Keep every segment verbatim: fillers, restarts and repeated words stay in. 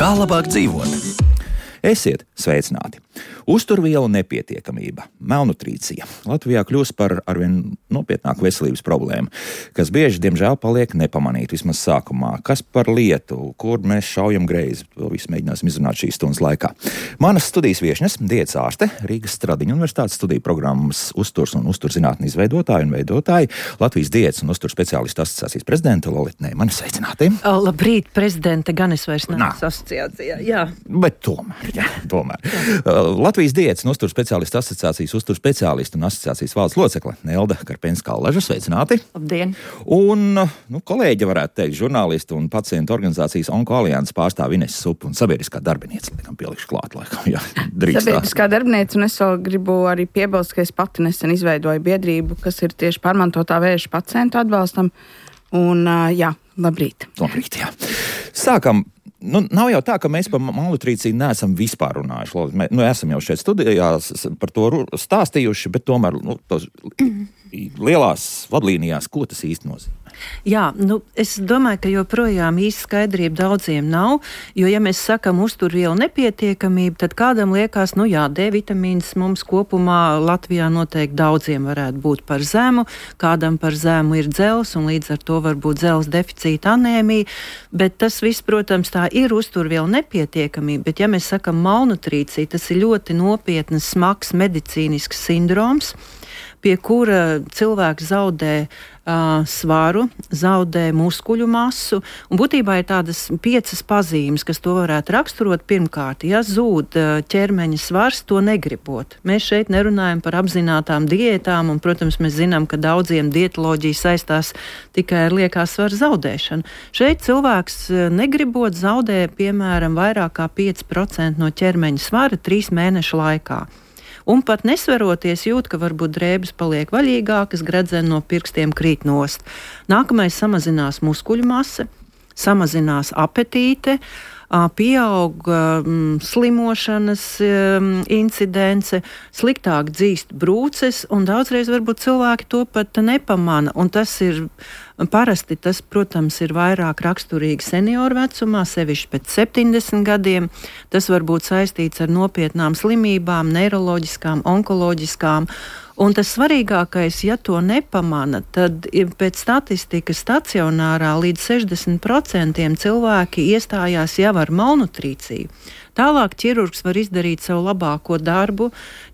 Kā labāk dzīvot? Esiet sveicināti! Uzturvielu nepietiekamība, malnutrīcija Latvijā kļūst par arvien nopietnāku veselības problēmu, kas bieži, diemžēl, paliek nepamanīta vismaz sākumā. Kas par lietu, kur mēs šaujam greizi, to visu mēģināsim izrunāt šīs stundas laikā. Manas studijas viešņas, diētas ārste, Rīgas Stradiņu universitātes studiju programmas uzturs un uzturzinātņu izveidotāji un veidotāji, Latvijas diētas un uzturs speciālistu asociācijas prezidenta Lolita Neimaņa. Sveicināti! Labrīt, prezidente, gan es vairs neesmu asociācijā. Jā. Bet tomēr, jā, tomēr. Jā. Latvijas diētas un uzturs speciālistu asociācijas uzturs speciālistu un asociācijas valdes locekle Nelda Karpenska-Allaža. Sveicināti! Labdien! Un, nu, kolēģi varētu teikt, žurnālistu un pacientu organizācijas Onko-alianses pārstāv Inese Supa un sabiedriskā darbinieca, laikam pielikšu klāt, laikam, jā, drīkstā. Sabiedriskā darbinieca, un es vēl gribu arī piebilst, ka es pati nesen izveidoju biedrību, kas ir tieši pārmantotā vēža pacientu atbalstam. Un, jā, labrīt! Labrīt, jā. Sākam. Nu, nav jau tā, ka mēs par malnutrīciju neesam vispār runājuši. Mēs nu, esam jau šeit studijās par to stāstījuši, bet tomēr nu, tos lielās vadlīnijās, ko tas īsti nozīmē? Jā, nu, es domāju, ka joprojām īsti skaidrība daudziem nav, jo, ja mēs sakam uzturvielu nepietiekamību, tad kādam liekas, nu jā, D vitamīns mums kopumā Latvijā noteikti daudziem varētu būt par zemu, kādam par zemu ir dzels, un līdz ar to var būt dzels deficīta anēmija, bet tas viss, protams, tā ir uzturvielu nepietiekamība, bet ja mēs sakam malnutrīcija, tas ir ļoti nopietnas, smags medicīnisks sindroms, pie kura cilvēks zaudē uh, svaru, zaudē muskuļu masu, un būtībā ir tādas piecas pazīmes, kas to varētu raksturot. Pirmkārt, ja zūd uh, ķermeņa svars, to negribot. Mēs šeit nerunājam par apzinātām diētām, un, protams, mēs zinām, ka daudziem dietoloģija saistās tikai ar liekā svara zaudēšanu. Šeit cilvēks uh, negribot zaudē, piemēram, vairāk kā pieci procenti no ķermeņa svara trīs mēnešu laikā. Un pat nesveroties jūt, ka varbūt drēbes paliek vaļīgākas, gredzeni no pirkstiem krīt nost. Nākamais samazinās muskuļu masa, samazinās apetīte, pieaug um, slimošanas um, incidence, sliktāk dzīst brūces, un daudzreiz varbūt cilvēki to pat nepamana. Un tas ir parasti, tas, protams, ir vairāk raksturīgi senioru vecumā, sevišķi pēc septiņdesmit gadiem. Tas var būt saistīts ar nopietnām slimībām, neiroloģiskām, onkoloģiskām. Un tas svarīgākais, ja to nepamana, tad pēc statistikas stacionārā līdz sešdesmit procenti cilvēki iestājās jau ar malnutrīciju. Tālāk ķirurgs var izdarīt savu labāko darbu,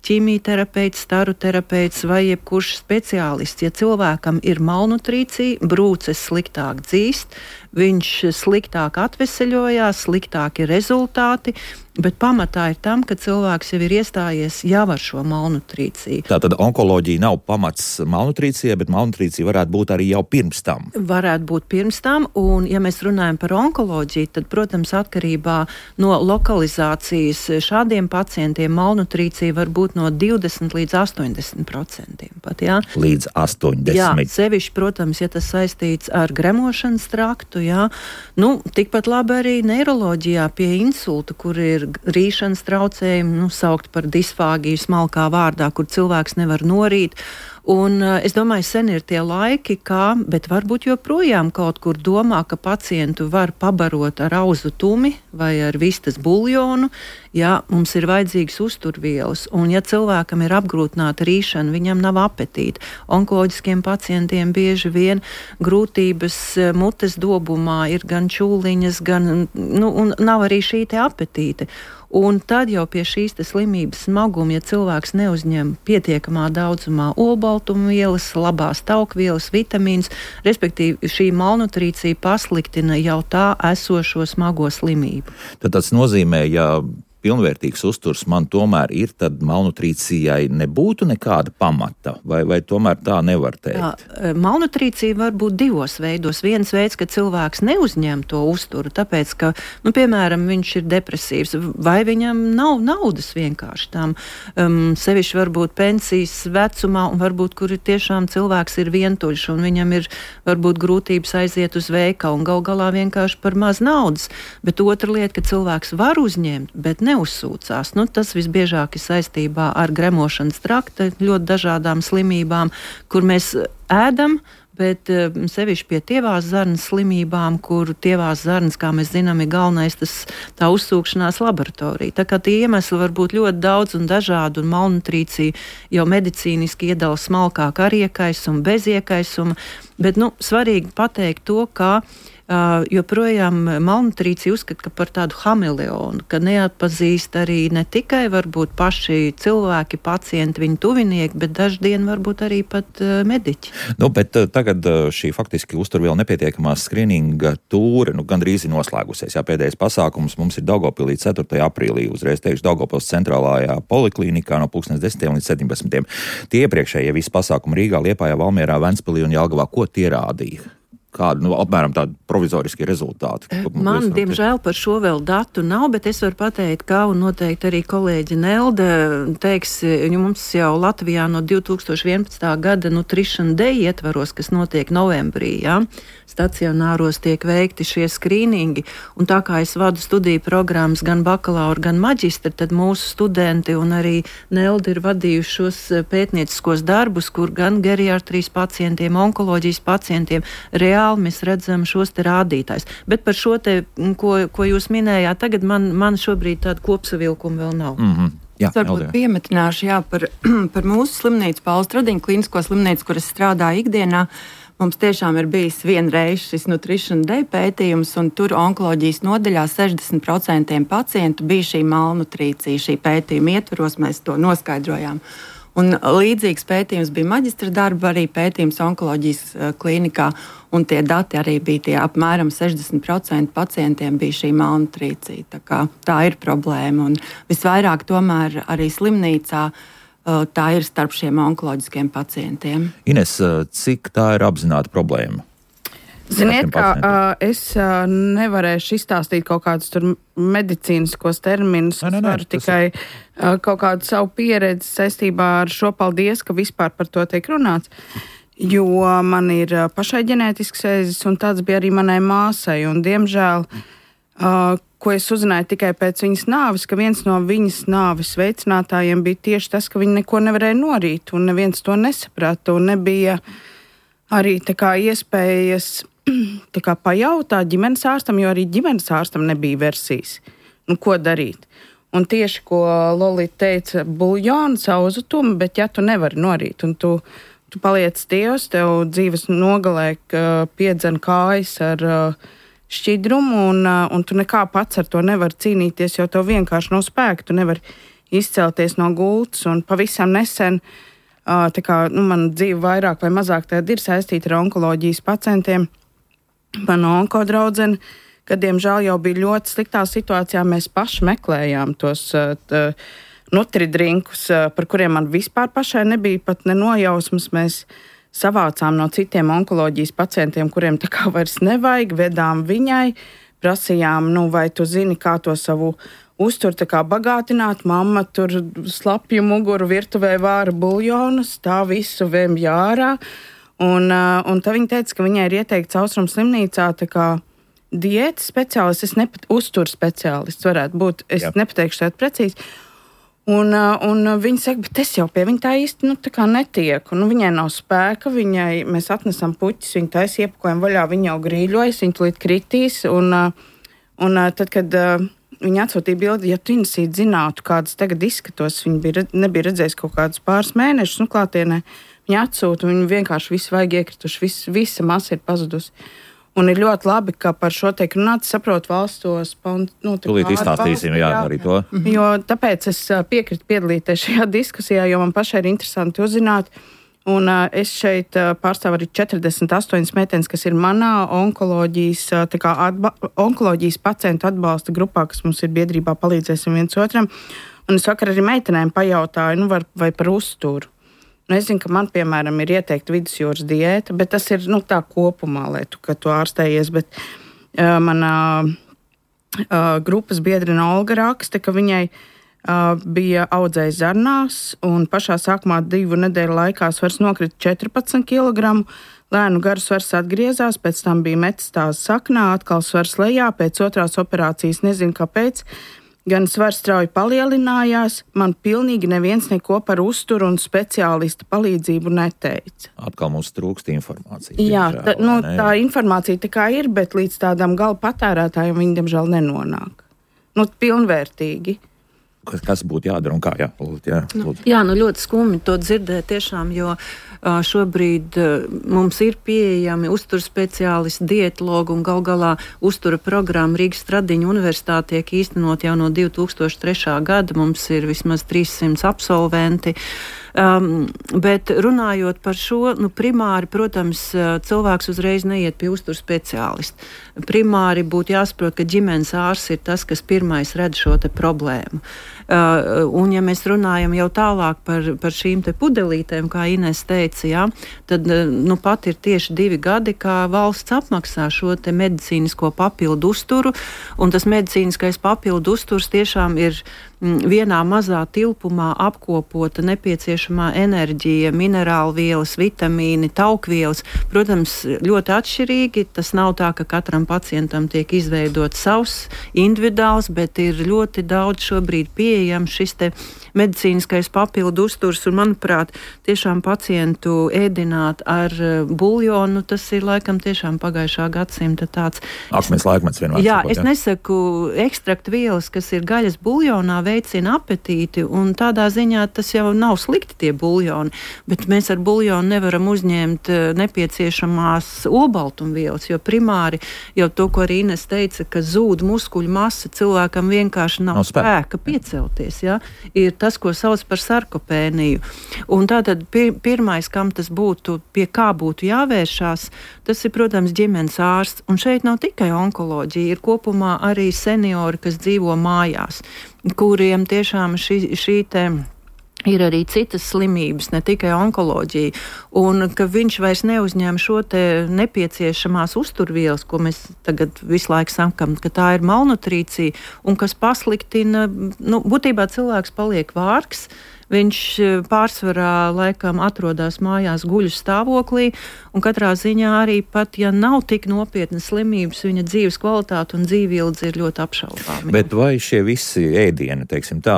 ķīmijterapeits, staru terapeits vai jebkurš speciālists. Ja cilvēkam ir malnutrīcija, brūces sliktāk dzīst, viņš sliktāk atveseļojās, sliktāki rezultāti, bet pamatā ir tam, ka cilvēks jau ir iestājies jau ar šo malnutrīciju. Tātad onkoloģija nav pamats malnutrīcijai, bet malnutrīcija varētu būt arī jau pirms tam. Varētu būt pirms tam, un ja mēs runājam par onkoloģiju, tad, protams, atkarībā no lokalizācijas šādiem pacientiem malnutrīcija var būt no divdesmit līdz astoņdesmit procentiem pat, jā? Līdz astoņdesmit. Jā, sevišķi, protams, ja tas saistīts ar gremošanas traktu, jā. Nu, tikpat labi arī neiroloģijā pie insulta, kur ir rīšanas traucējumi, nu, saukt par disfāgiju smalkā vārdā, kur cilvēks nevar norīt. Un uh, es domāju, sen ir tie laiki, kā, bet varbūt joprojām kaut kur domā, ka pacientu var pabarot ar auzu tumi vai ar vistas buljonu, ja mums ir vajadzīgas uzturvielas. Un ja cilvēkam ir apgrūtināta rīšana, viņam nav apetīta. Onkoloģiskiem pacientiem bieži vien grūtības mutes dobumā ir gan čūliņas, gan, nu, un nav arī šī te apetīte. Un tad jau pie šīs slimības smaguma, ja cilvēks neuzņem pietiekamā daudzumā olbaltumvielas, labās taukvielas, vitamīns, respektīvi šī malnutrīcija pasliktina jau tā esošo smago slimību. Tad tas nozīmē, ja pilnvērtīgs uzturs man tomēr ir, tad malnutrīcijai nebūtu nekāda pamata, vai, vai tomēr tā nevar teikt? Jā, malnutrīcija var būt divos veidos. Viens veids, ka cilvēks neuzņem to uzturu, tāpēc, ka, nu, piemēram, viņš ir depresīvs, vai viņam nav naudas vienkārši tam. Um, sevišķi varbūt pensijas vecumā, un varbūt, kur ir tiešām cilvēks ir vientuļš, un viņam ir varbūt grūtības aiziet uz veikalu, un gal galā vienkārši par maz naudas. Bet otra lieta, ka cilvēks var uzņemt, bet ne neuzsūcās. Nu, tas visbiežāk ir saistībā ar gremošanas trakta ļoti dažādām slimībām, kur mēs ēdam, bet sevišķi pie tievās zarnas slimībām, kur tievās zarnas, kā mēs zinām, ir galvenais tas tā uzsūkšanās laboratorija. Tā kā tie iemesli var būt ļoti daudz un dažādi, un malnutrīcija jau medicīniski iedala smalkāk ar iekaisumu, bez iekaisuma, bet, nu, svarīgi pateikt to, ka Uh, joprojām malnutrīcija uzskata par tādu hameleonu, ka neatpazīst arī ne tikai varbūt paši cilvēki, pacienti, viņu tuvinieki, bet daždien varbūt arī pat uh, mediķi. Nu, bet uh, tagad uh, šī faktiski uzturvielu nepietiekamā skrininga tūre, nu, gandrīz ir noslēgusies. Jā, pēdējais pasākums mums ir Daugavpilī ceturtajā aprīlī, uzreiz teikšu Daugavpils centrālajā poliklīnikā no pulkstens desmitiem līdz septiņpadsmitiem. Tie iepriekšējie visi pasākumi Rīgā, Liepājā, Valmierā, Ventspilī un Jelgavā, ko tie rādīja? Kādi, nu, apmēram tādi provizoriski rezultāti? Man, diemžēl, par šo vēl datu nav, bet es varu pateikt, kā un noteikti arī kolēģi Nelde teiks, mums jau Latvijā no divi tūkstoši vienpadsmitā gada Nutrition Day ietvaros, kas notiek novembrī, jā, stacionāros tiek veikti šie skrīningi, un tā kā es vadu studiju programmas gan bakalaura, gan maģistra, tad mūsu studenti un arī Nelde ir vadījuši šos pētnieciskos darbus, kur gan geriatrijas pacientiem, onkoloģijas pacientiem reāli mēs redzam šos te rādītājs. Bet par šo te, ko, ko jūs minējāt, tagad man, man šobrīd tāda kopsavilkuma vēl nav. Mm-hmm. Jā, es varbūt piemetināšu, jā, par, par mūsu slimnīcu, Paula Stradiņa klīnisko slimnīcu, kur es strādāju ikdienā. Mums tiešām ir bijis vienreiz šis Nutrition Day pētījums, un tur onkoloģijas nodaļā sešdesmit procenti pacientu bija šī malnutrīcija. Šī pētījuma ietvaros mēs to noskaidrojām. Un līdzīgs pētījums bija maģistra darba, arī pētījums onkoloģijas klīnikā, un tie dati arī bija tie apmēram sešdesmit procenti pacientiem bija šī malnutrīcija. Tā kā tā ir problēma, un visvairāk tomēr arī slimnīcā tā ir starp šiem onkoloģiskiem pacientiem. Ines, cik tā ir apzināta problēma? Ziniet, kā uh, es uh, nevarēšu izstāstīt kaut kādus tur medicīniskos terminus, es varu tikai uh, kaut kādu savu pieredzi saistībā ar šo, paldies, ka vispār par to tiek runāts, jo man ir uh, pašai ģenētisks ēzis, un tāds bija arī manai māsai, un diemžēl, uh, ko es uzzināju tikai pēc viņas nāves, ka viens no viņas nāves veicinātājiem bija tieši tas, ka viņa neko nevarēja norīt, un neviens to nesaprata, un nebija arī tā kā iespējas tā kā pajautāt ģimenes ārstam, jo arī ģimenes ārstam nebija versijas. Nu, ko darīt? Un tieši, ko Lolita teica, buļļonu, sauzutumu, bet ja tu nevari norīt, un tu, tu paliec Dievs, tev dzīves nogalē piedzen kājas ar šķidrumu, un, un tu nekā pats ar to nevari cīnīties, jo tev vienkārši nav spēka, tu nevari izcelties no gultas, un pavisam nesen tā kā, nu, man dzīve vairāk vai mazāk tāda ir saistīta ar onkoloģijas pacientiem. Mana onkodraudzene, kad, diemžēl, jau bija ļoti sliktā situācijā, mēs paši meklējām tos tā, nutridrinkus, par kuriem man vispār pašai nebija pat nenojausmas. Mēs savācām no citiem onkoloģijas pacientiem, kuriem tā kā vairs nevajag, vedām viņai, prasījām, nu, vai tu zini, kā to savu uztur tā kā bagātināt, mamma tur slapju muguru virtuvē vāra buļļonus, tā visu vēmj ārā. Un, un tā viņa teica, ka viņai ir ieteikts Austrumu slimnīcā tā kā diētas speciālists, es nepat uzturu speciālists varētu būt, es Jā. nepateikšu tādu precīzi. Un, un viņa saka, bet es jau pie viņa tā īsti, nu, tā kā netieku. Nu, viņai nav spēka, viņai, mēs atnesam puķis, viņa taisa iepakojam vaļā, viņa jau grīļojas, viņa tulīt kritīs. Un, un tad, kad viņa atsūtīja bildi, ja tu Inesīt zinātu, kādas tagad izskatos, viņa bija, nebija redzējis kaut kādus pāris mēnešus, nu, klātienē, viņa atsūta, viņa vienkārši visu vajag iekrituši, vis, visa masa ir pazudusi. Un ir ļoti labi, ka par šo tiek runāts, saprot valsts tos... Nu, Tūlīt izstāstīsim, jā, jā, arī to. Jo tāpēc es piekritu piedalīties šajā diskusijā, jo man pašai ir interesanti uzzināt. Un uh, es šeit uh, pārstāvu arī četrdesmit astoņas meitenes, kas ir manā onkoloģijas, uh, tā kā atba, onkoloģijas pacientu atbalsta grupā, kas mums ir biedrībā palīdzēsim viens otram. Un es vakar arī meitenēm pajautāju, nu, var, vai par uzturu. Nu, es zinu, ka man, piemēram, ir ieteikta vidusjūras diēta, bet tas ir, nu, tā kopumā, lai tu, ka tu ārstējies, bet uh, manā uh, grupas biedrina Olga raksta, ka viņai uh, bija audzējis zarnās, un pašā sākumā divu nedēļu laikā svars nokrita četrpadsmit kilogramu, lēnu garu svars atgriezās, pēc tam bija metastāze saknā, atkal svars lejā, pēc otrās operācijas nezinu kāpēc, gan svars strauji palielinājās, man pilnīgi neviens neko par uzturu un speciālista palīdzību neteica. Atkal mums trūkst informācija. Jā, diemžēl, tā, nu, ne? tā informācija tikai ir, bet līdz tādam gala patērētājam viņi, diemžēl, nenonāk. Nu, pilnvērtīgi. Kas, kas būtu jādara un kā, jā, lūdzu, jā, lūdzu. Jā, nu ļoti skumji to dzirdēt tiešām, jo uh, šobrīd uh, mums ir pieejami uztura speciālisti, dietologi un gal galā uztura programma Rīgas Stradiņu universitāte tiek īstenot jau no divi tūkstoši trešā gada. Mums ir vismaz trīssimts absolventi. Um, bet runājot par šo, nu, primāri, protams, cilvēks uzreiz neiet pie uztura speciālista. Primāri būtu jāsaprot, ka ģimenes ārsts ir tas, kas pirmais redz šo te problēmu. Uh, un ja mēs runājam jau tālāk par, par šīm te pudelītēm, kā Ines teica, jā, tad nu pat ir tieši divi gadi, kā valsts apmaksā šo te medicīnisko papildu uzturu, un tas medicīniskais papildu uzturs tiešām ir vienā mazā tilpumā apkopota nepieciešamā enerģija, minerālvielas, vitamīni, taukvielas. Protams, ļoti atšķirīgi. Tas nav tā, ka katram pacientam tiek izveidot savs individuāls, bet ir ļoti daudz šobrīd pieejams šis te medicīniskais papildu uzturs, un, manuprāt, tiešām pacientu ēdināt ar buljonu, tas ir laikam tiešām pagājušā gadsimta tāds. Akmens laikmets vienmēr. Jā, sakot, es nesaku ekstraktu vielas, kas ir gaļas buljonā, veicina apetīti, un tādā ziņā tas jau nav slikti tie buljoni, bet mēs ar buljonu nevaram uzņemt nepieciešamās olbaltumvielas, jo primāri jau to, ko arī Ines teica, ka zūd muskuļu masa, cilvēkam vienkārši nav, nav spēka, spēka piecelties, ja? Ir tas, ko sauc par sarkopēniju. Un tātad pir, pirmais, kam tas būtu, pie kā būtu jāvēršās, tas ir, protams, ģimenes ārsts. Un šeit nav tikai onkoloģija, ir kopumā arī seniori, kas dzīvo mājās, kuriem tiešām šī, šī te ir arī citas slimības, ne tikai onkoloģija, un ka viņš vairs neuzņem šo te nepieciešamās uzturvielas, ko mēs tagad visu laiku sakam, ka tā ir malnutrīcija, un kas pasliktina, nu, būtībā cilvēks paliek vārgs, viņš pārsvarā laikam atrodas mājās guļu stāvoklī, un katrā ziņā arī pat, ja nav tik nopietnas slimības, viņa dzīves kvalitāte un dzīvildze ir ļoti apšaubāmi. Bet vai šie visi ēdieni, teiksim tā,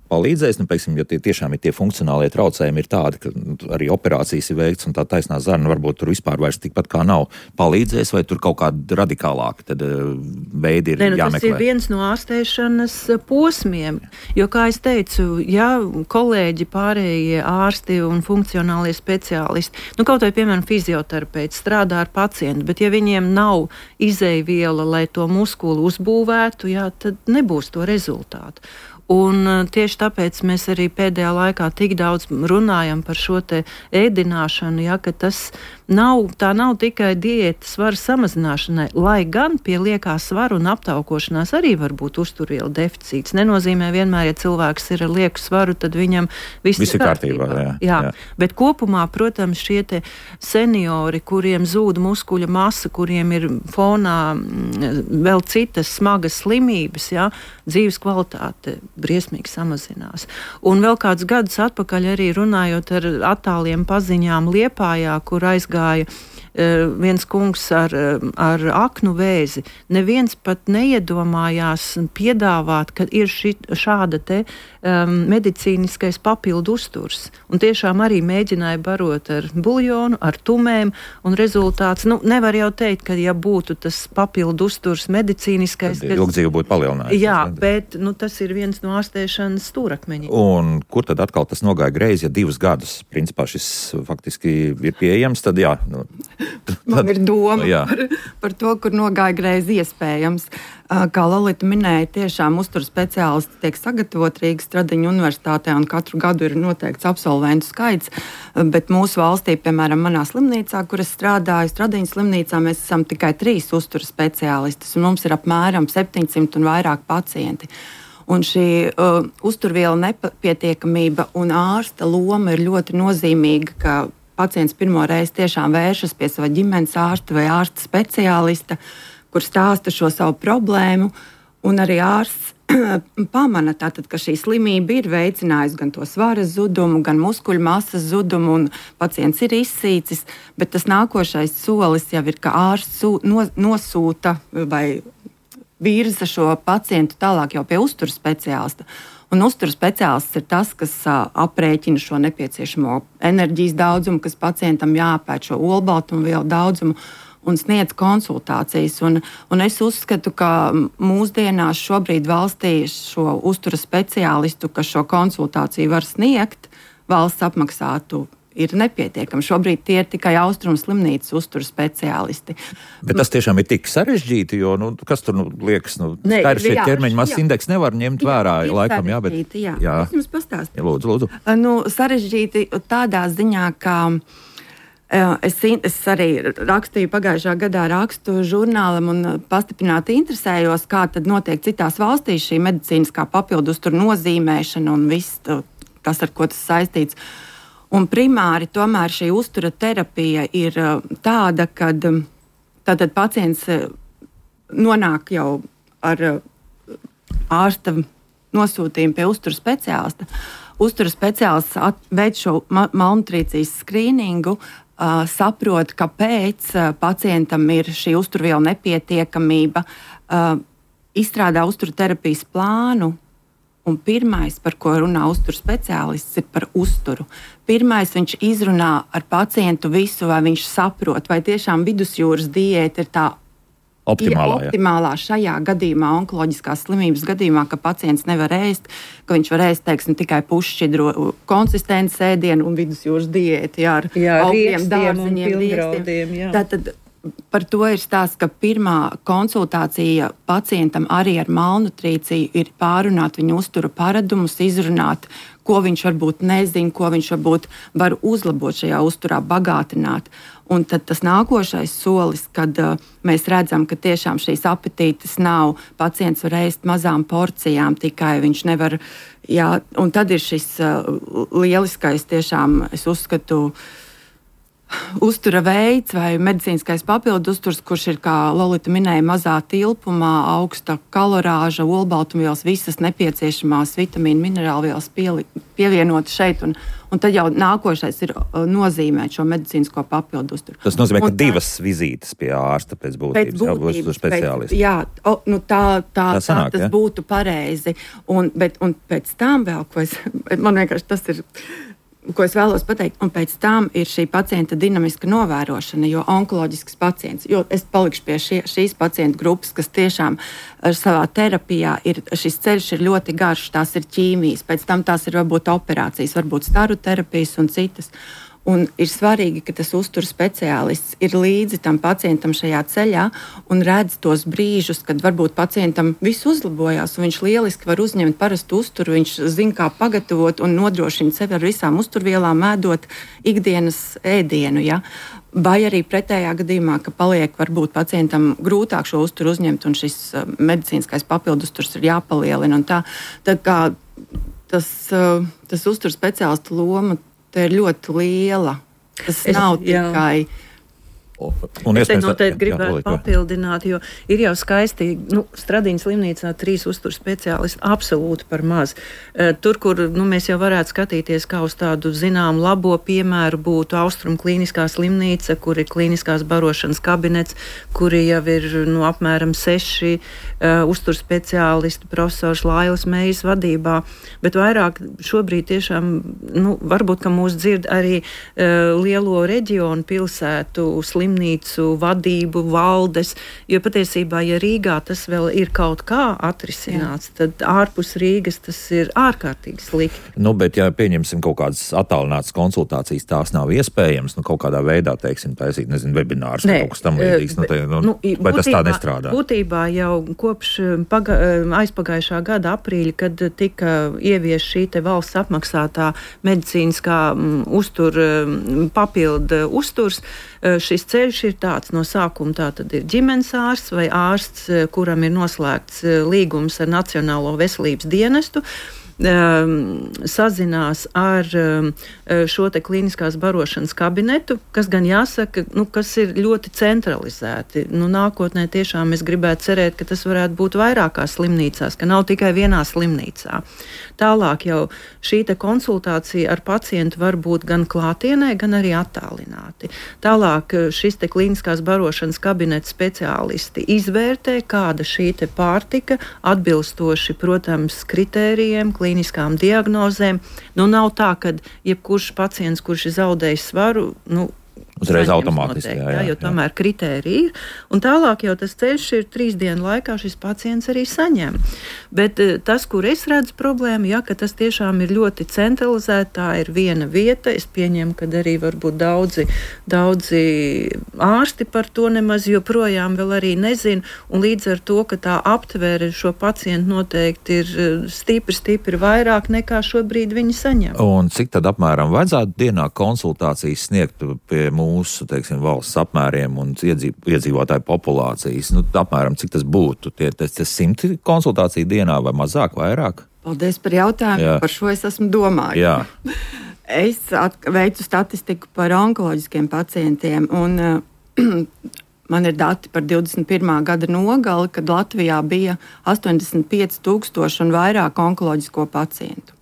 palīdzēs, nu, teiksim, ja tie tiešām ir tie funkcionālie traucējumi ir tādi, ka arī operācijas ir veikts un tā taisnā zarna varbūt tur vispār vairs tikpat kā nav, palīdzēs, vai tur kaut kādi radikālāki tad veidi ir ne, nu, jāmeklē? Tas ir viens no ārstēšanas posmiem, jo, kā es teicu, ja kolēģi, pārējie ārsti un funkcionālie speciālisti, nu kaut vai, piemēram, fizioterapeiti strādā ar pacientu, bet ja viņiem nav izejviela, lai to muskuli uzbūvētu, jā, tad nebūs to rezultātu. Un tieši tāpēc mēs arī pēdējā laikā tik daudz runājam par šo te ēdināšanu, ja, ka tas nav, tā nav tikai diēta svara samazināšanai, lai gan pie liekā svara un aptaukošanās arī var būt uzturvielu deficīts. Nenozīmē vienmēr, ja cilvēks ir ar lieku svaru, tad viņam viss Visi ir kārtībā. kārtībā jā, jā. Jā. Bet kopumā, protams, šie te seniori, kuriem zūd muskuļa masa, kuriem ir fonā vēl citas smagas slimības, ja, dzīves kvalitāte briesmīgi samazinās. Un vēl kāds gadus atpakaļ arī runājot ar attāliem paziņām Liepājā, kur aizgāja uh, viens kungs ar, ar aknu vēzi. Neviens pat neiedomājās piedāvāt, ka ir ši, šāda te um, medicīniskais papildu uzturs. Un tiešām arī mēģināja barot ar buljonu, ar tumēm, un rezultāts, nu, nevar jau teikt, ka ja būtu tas papildu uzturs medicīniskais, tad ilgdzīvi būtu palielinājies. Jā, bet nu, tas ir viens no ārstēšanas stūrakmeņiem. Un kur tad atkal tas nogāja greizi, ja divus gadus, principā šis faktiski ir pieejams, tad jā. Nu, tad, Man ir doma jā. par, par to, kur nogāja greizi iespējams. Kā Lolita minēja, tiešām uzturu speciālisti tiek sagatavot Rīgas Stradiņu universitātē, un katru gadu ir noteikts absolventu skaits, bet mūsu valstī, piemēram, manā slimnīcā, kur es strādāju, Stradiņas slimnīcā, mēs esam tikai trīs uzturu speciālistis, un mums ir apmēram septiņsimt un vairāk pacienti. Un šī uh, uzturviela nepietiekamība un ārsta loma ir ļoti nozīmīga, ka pacients pirmo reizi tiešām vēršas pie sava ģimenes ārsta vai ārsta speciālista, kur stāsta šo savu problēmu, un arī ārsts pamana, tātad, ka šī slimība ir veicinājusi gan to svara zudumu, gan muskuļu masas zudumu, un pacients ir izsīcis, bet tas nākošais solis jau ir, ka ārsts no, nosūta vai virza šo pacientu tālāk jau pie uzturu speciālista. Un uzturu speciālists ir tas, kas uh, aprēķina šo nepieciešamo enerģijas daudzumu, kas pacientam jāpēt šo olbaltumvielu daudzumu un sniedz konsultācijas. Un, un es uzskatu, ka mūsdienās šobrīd valstī šo uzturu speciālistu, kas šo konsultāciju var sniegt, valsts apmaksātu, ir nepietiekami. Šobrīd tie ir tikai Austrumu slimnīcas uzturu speciālisti. Bet tas tiešām ir tik sarežģīti, jo, nu, kas tur nu, liekas, nu, skaidrs, šeit ķermeņa masas indeks nevar ņemt jā, vērā, laikam, jā, bet... Jā, jā. Es jums pastāstu. Jā, lūdzu, lūdzu. Nu, sarežģīti tādā ziņā, ka es, es arī rakstīju pagājušā gadā rakstu žurnālam un pastiprināti interesējos, kā tad notiek citās valstīs šī medicīniskā papildu uzturu nozīmēšana un viss tas, ar ko tas saistīts. Un primāri tomēr šī uztura terapija ir tāda, kad tātad pacients nonāk jau ar ārsta nosūtījumu pie uztura speciālista. Uztura speciālists veic šo malnutrīcijas skrīningu, saprot, kāpēc pacientam ir šī uzturvielu nepietiekamība, izstrādā uztura terapijas plānu. Un pirmais, par ko runā uzturu speciālists, ir par uzturu. Pirmais, viņš izrunā ar pacientu visu, vai viņš saprot, vai tiešām vidusjūras diēta ir tā optimālā, optimālā šajā gadījumā, onkoloģiskās slimības gadījumā, ka pacients nevar ēst, ka viņš var ēst, teiksim, tikai pušķidro konsistences ēdienu un vidusjūras diētu, jā, ar jā, augļiem, dārziņiem, riekstiem. Tātad par to ir stāsts, ka pirmā konsultācija pacientam arī ar malnutrīciju ir pārunāt viņa uztura paradumus, izrunāt, ko viņš varbūt nezina, ko viņš varbūt var uzlabot šajā uzturā, bagātināt. Un tad tas nākošais solis, kad uh, mēs redzam, ka tiešām šīs apetītes nav, pacients var ēst mazām porcijām, tikai viņš nevar, jā, un tad ir šis uh, lieliskais tiešām, es uzskatu, uztura veids vai medicīniskais papildu uzturs, kurš ir, kā Lolita minēja, mazā tilpumā, augsta kalorāža, olbaltumvielas, visas nepieciešamās vitamīnu, minerālvielas pievienot šeit, un, un tad jau nākošais ir nozīmēt šo medicīnisko papildu uzturu. Tas nozīmē, un ka divas tā, vizītes pie ārsta pēc būtības, pēc būtības jā, speciālisti. Jā, o, nu tā, tā, tā, sanāk, tā tas ja? būtu pareizi. Un, bet, un pēc tam vēl, ko es, man vienkārši tas ir... ko es vēlos pateikt, un pēc tam ir šī pacienta dinamiska novērošana, jo onkoloģisks pacients, jo es palikšu pie šie, šīs pacientu grupas, kas tiešām savā terapijā ir, šis ceļš ir ļoti garš, tās ir ķīmijas, pēc tam tās ir varbūt operācijas, varbūt staru terapijas un citas. Un ir svarīgi, ka tas uzturu speciālists ir līdzi tam pacientam šajā ceļā un redz tos brīžus, kad varbūt pacientam viss uzlabojās un viņš lieliski var uzņemt parastu uzturu, viņš zina, kā pagatavot un nodrošina sevi ar visām uzturvielām, ēdot ikdienas ēdienu. Ja? Vai arī pretējā gadījumā, ka paliek varbūt pacientam grūtāk šo uzturu uzņemt un šis uh, medicīniskais papildu uzturs ir jāpalielina. Un tā, tā kā tas, uh, tas uzturu speciālistu loma tā ir ļoti liela. Tas es, nav tikai... Un es te noteikti gribētu jā, papildināt, jo ir jau skaisti, nu, Stradiņas slimnīcā trīs uzturu speciālisti absolūti par maz. Tur, kur nu, mēs jau varētu skatīties kā uz tādu zinām labo piemēru, būtu Austrumu klīniskā slimnīca, kur ir klīniskās barošanas kabinets, kuri jau ir nu, apmēram seši uh, uzturu speciālisti, profesors Lailas Mejas vadībā, bet vairāk šobrīd tiešām, nu, varbūt, ka mūs dzird arī uh, lielo reģionu pilsētu slimnīcu, slimnīcu vadību, valdes, jo patiesībā, ja Rīgā tas vēl ir kaut kā atrisināts, jā, tad ārpus Rīgas tas ir ārkārtīgi slikti. Nu, bet, ja pieņemsim kaut kādas attālinātas konsultācijas, tās nav iespējams, nu, kaut kādā veidā, teiksim, taisīt, nezinu, webinārs vai kaut kas tam līdzīgs, nu, te, nu, nu, vai būtībā, tas tā nestrādā? Būtībā jau kopš paga, aizpagājušā gada aprīļa, kad tika ievies šī te valsts apmaksātā medicīniskā um, uztur, um, papildu uzturs, šis ceļš ir tāds no sākuma, tā tad ir ģimenes ārsts vai ārsts, kuram ir noslēgts līgums ar Nacionālo veselības dienestu. um, sazinās ar um, šo te klīniskās barošanas kabinetu, kas gan jāsaka, nu, kas ir ļoti centralizēti. Nu, nākotnē tiešām es gribētu cerēt, ka tas varētu būt vairākās slimnīcās, ka nav tikai vienā slimnīcā. Tālāk jau šī te konsultācija ar pacientu var būt gan klātienē, gan arī attālināti. Tālāk šis te klīniskās barošanas kabineta speciālisti izvērtē, kāda šī te pārtika atbilstoši, protams, kritērijiem, klīniskām diagnozēm. Nu, nav tā, ka jebkurš pacients, kurš ir zaudējis svaru, nu, uzreiz automātiski, noteikti, jā, jā, jā, jo tomēr kritērija ir. Un tālāk jau tas ceļš ir trīs dienu laikā šis pacients arī saņem. Bet tas, kur es redzu problēmu, jā, ka tas tiešām ir ļoti centralizēti, tā ir viena vieta. Es pieņemu, ka arī varbūt daudzi, daudzi ārsti par to nemaz joprojām vēl arī nezin. Un līdz ar to, ka tā aptvēre šo pacientu noteikti ir stipri, stipri vairāk nekā šobrīd viņi saņem. Un cik tad apmēram vajadzētu dienā konsultācijas sniegt pie mūsu, teiksim, valsts apmēriem un iedzīv, iedzīvotāju populācijas? Nu, apmēram, cik tas būtu? Tie, tas, tas simti konsultāciju dienā vai mazāk, vairāk? Paldies par jautājumu. Jā. Par šo es esmu domājis. Jā. Es at, veicu statistiku par onkoloģiskiem pacientiem un uh, man ir dati par divdesmit pirmā gada nogali, kad Latvijā bija astoņdesmit pieci tūkstoši un vairāk onkoloģisko pacientu.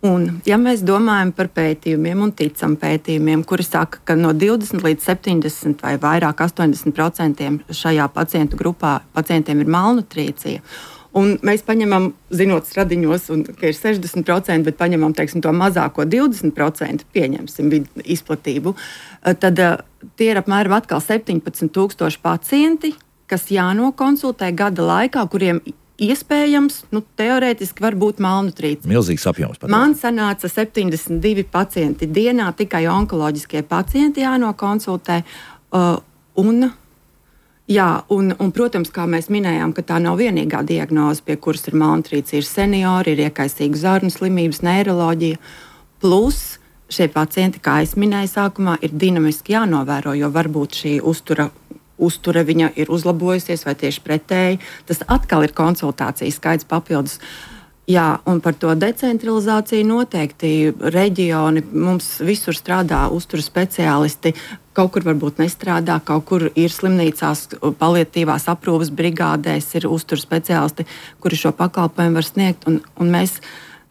Un, ja mēs domājam par pētījumiem un ticam pētījumiem, kuri saka, ka no divdesmit līdz septiņdesmit vai vairāk astoņdesmit procentiem šajā pacientu grupā pacientiem ir malnutrīcija, un mēs paņemam, zinot stradiņos, un, ka ir sešdesmit procenti, bet paņemam, teiksim, to mazāko divdesmit procenti, pieņemsim izplatību, tad tie ir apmēram atkal septiņpadsmit tūkstoši pacienti, kas jānokonsultē gada laikā, kuriem iespējams, nu, teorētiski var būt malnutrīcija. Milzīgs apjoms. Pat. Man sanāca septiņdesmit divi pacienti dienā, tikai onkoloģiskie pacienti jānokonsultē. Uh, un, jā, un, un, protams, kā mēs minējām, ka tā nav vienīgā diagnoze, pie kuras ir malnutrīcija. Ir seniori, ir iekaisīga zarnu slimības, neiroloģija. Plus šie pacienti, kā es minēju sākumā, ir dinamiski jānovēro, jo varbūt šī uztura uzture viņa ir uzlabojusies vai tieši pretēji. Tas atkal ir konsultācijas skaits papildus. Jā, un par to decentralizāciju noteikti reģioni mums visur strādā uzturu speciālisti. Kaut kur varbūt nestrādā, kaut kur ir slimnīcās, paliatīvās aprūpes brigādēs ir uzturu speciālisti, kuri šo pakalpojumu var sniegt. Un, un mēs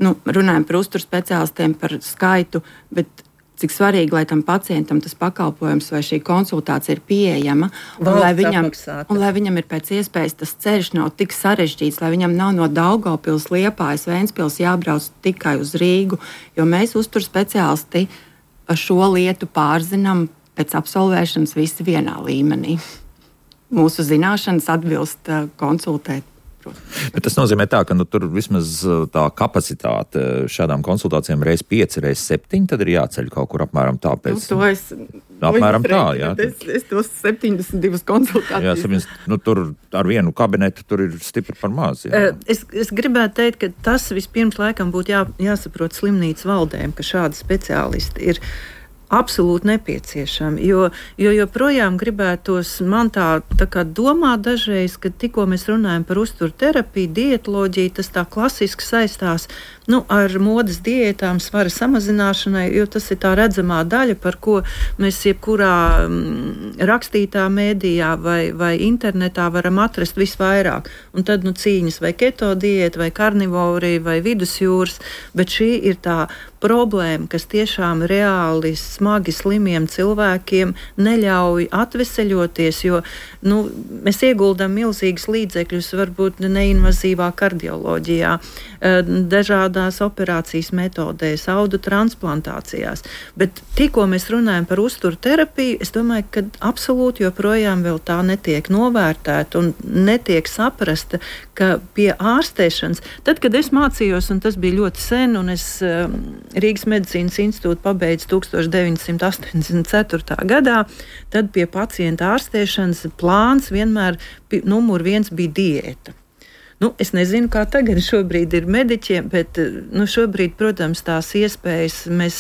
nu, runājam par uzturu speciālistiem, par skaitu, bet cik svarīgi, lai tam pacientam tas pakalpojums vai šī konsultācija ir pieejama, un lai, viņam, un lai viņam ir pēc iespējas tas ceļš nav tik sarežģīts, lai viņam nav no Daugavpils, Liepājas, Ventspils jābrauc tikai uz Rīgu, jo mēs uzturu speciālisti šo lietu pārzinām pēc absolvēšanas visi vienā līmenī. Mūsu zināšanas atbilst konsultēt. Bet tas nozīmē tā, ka nu, tur vismaz tā kapacitāte šādām konsultācijām reiz pieci, reiz septiņi, tad ir jāceļ kaut kur apmēram tā pēc. Nu, to es, apmēram tā, jā. Es, es tos septiņdesmit divas konsultācijas. Jā, septiņdesmit, nu, tur ar vienu kabinetu tur ir stipri par maz. Jā. Es, es gribētu teikt, ka tas vispirms laikam būtu jā, jāsaprot slimnīcu valdēm, ka šādi speciālisti ir absolūti nepieciešami, jo, jo joprojām gribētos man tā, tā kā domāt dažreiz, ka tikko mēs runājam par uzturu terapiju, dietoloģiju, tas tā klasiski saistās nu, ar modes diētām, svara samazināšanai, jo tas ir tā redzamā daļa, par ko mēs jebkurā mm, rakstītā mēdījā vai, vai internetā varam atrast visvairāk. Un tad nu, cīņas vai keto diēta, vai karnivorija, vai vidusjūras, bet šī ir tā problēma, kas tiešām reāli smagi slimiem cilvēkiem neļauj atveseļoties, jo nu, mēs ieguldam milzīgas līdzekļus varbūt neinvazīvā kardioloģijā, dažādās operācijas metodēs, audu transplantācijās. Bet tikko mēs runājam par uzturu terapiju, es domāju, ka absolūti joprojām vēl tā netiek novērtēta un netiek saprasta, ka pie ārstēšanas, tad, kad es mācījos, un tas bija ļoti sen, un es Rīgas medicīnas institūtu pabeidzu tūkstoš deviņsimt astoņdesmit ceturtā gadā, tad pie pacienta ārstēšanas plāns vienmēr numur viens bija diēta. Nu, es nezinu, kā tagad šobrīd ir mediķiem, bet nu, šobrīd, protams, tās iespējas mēs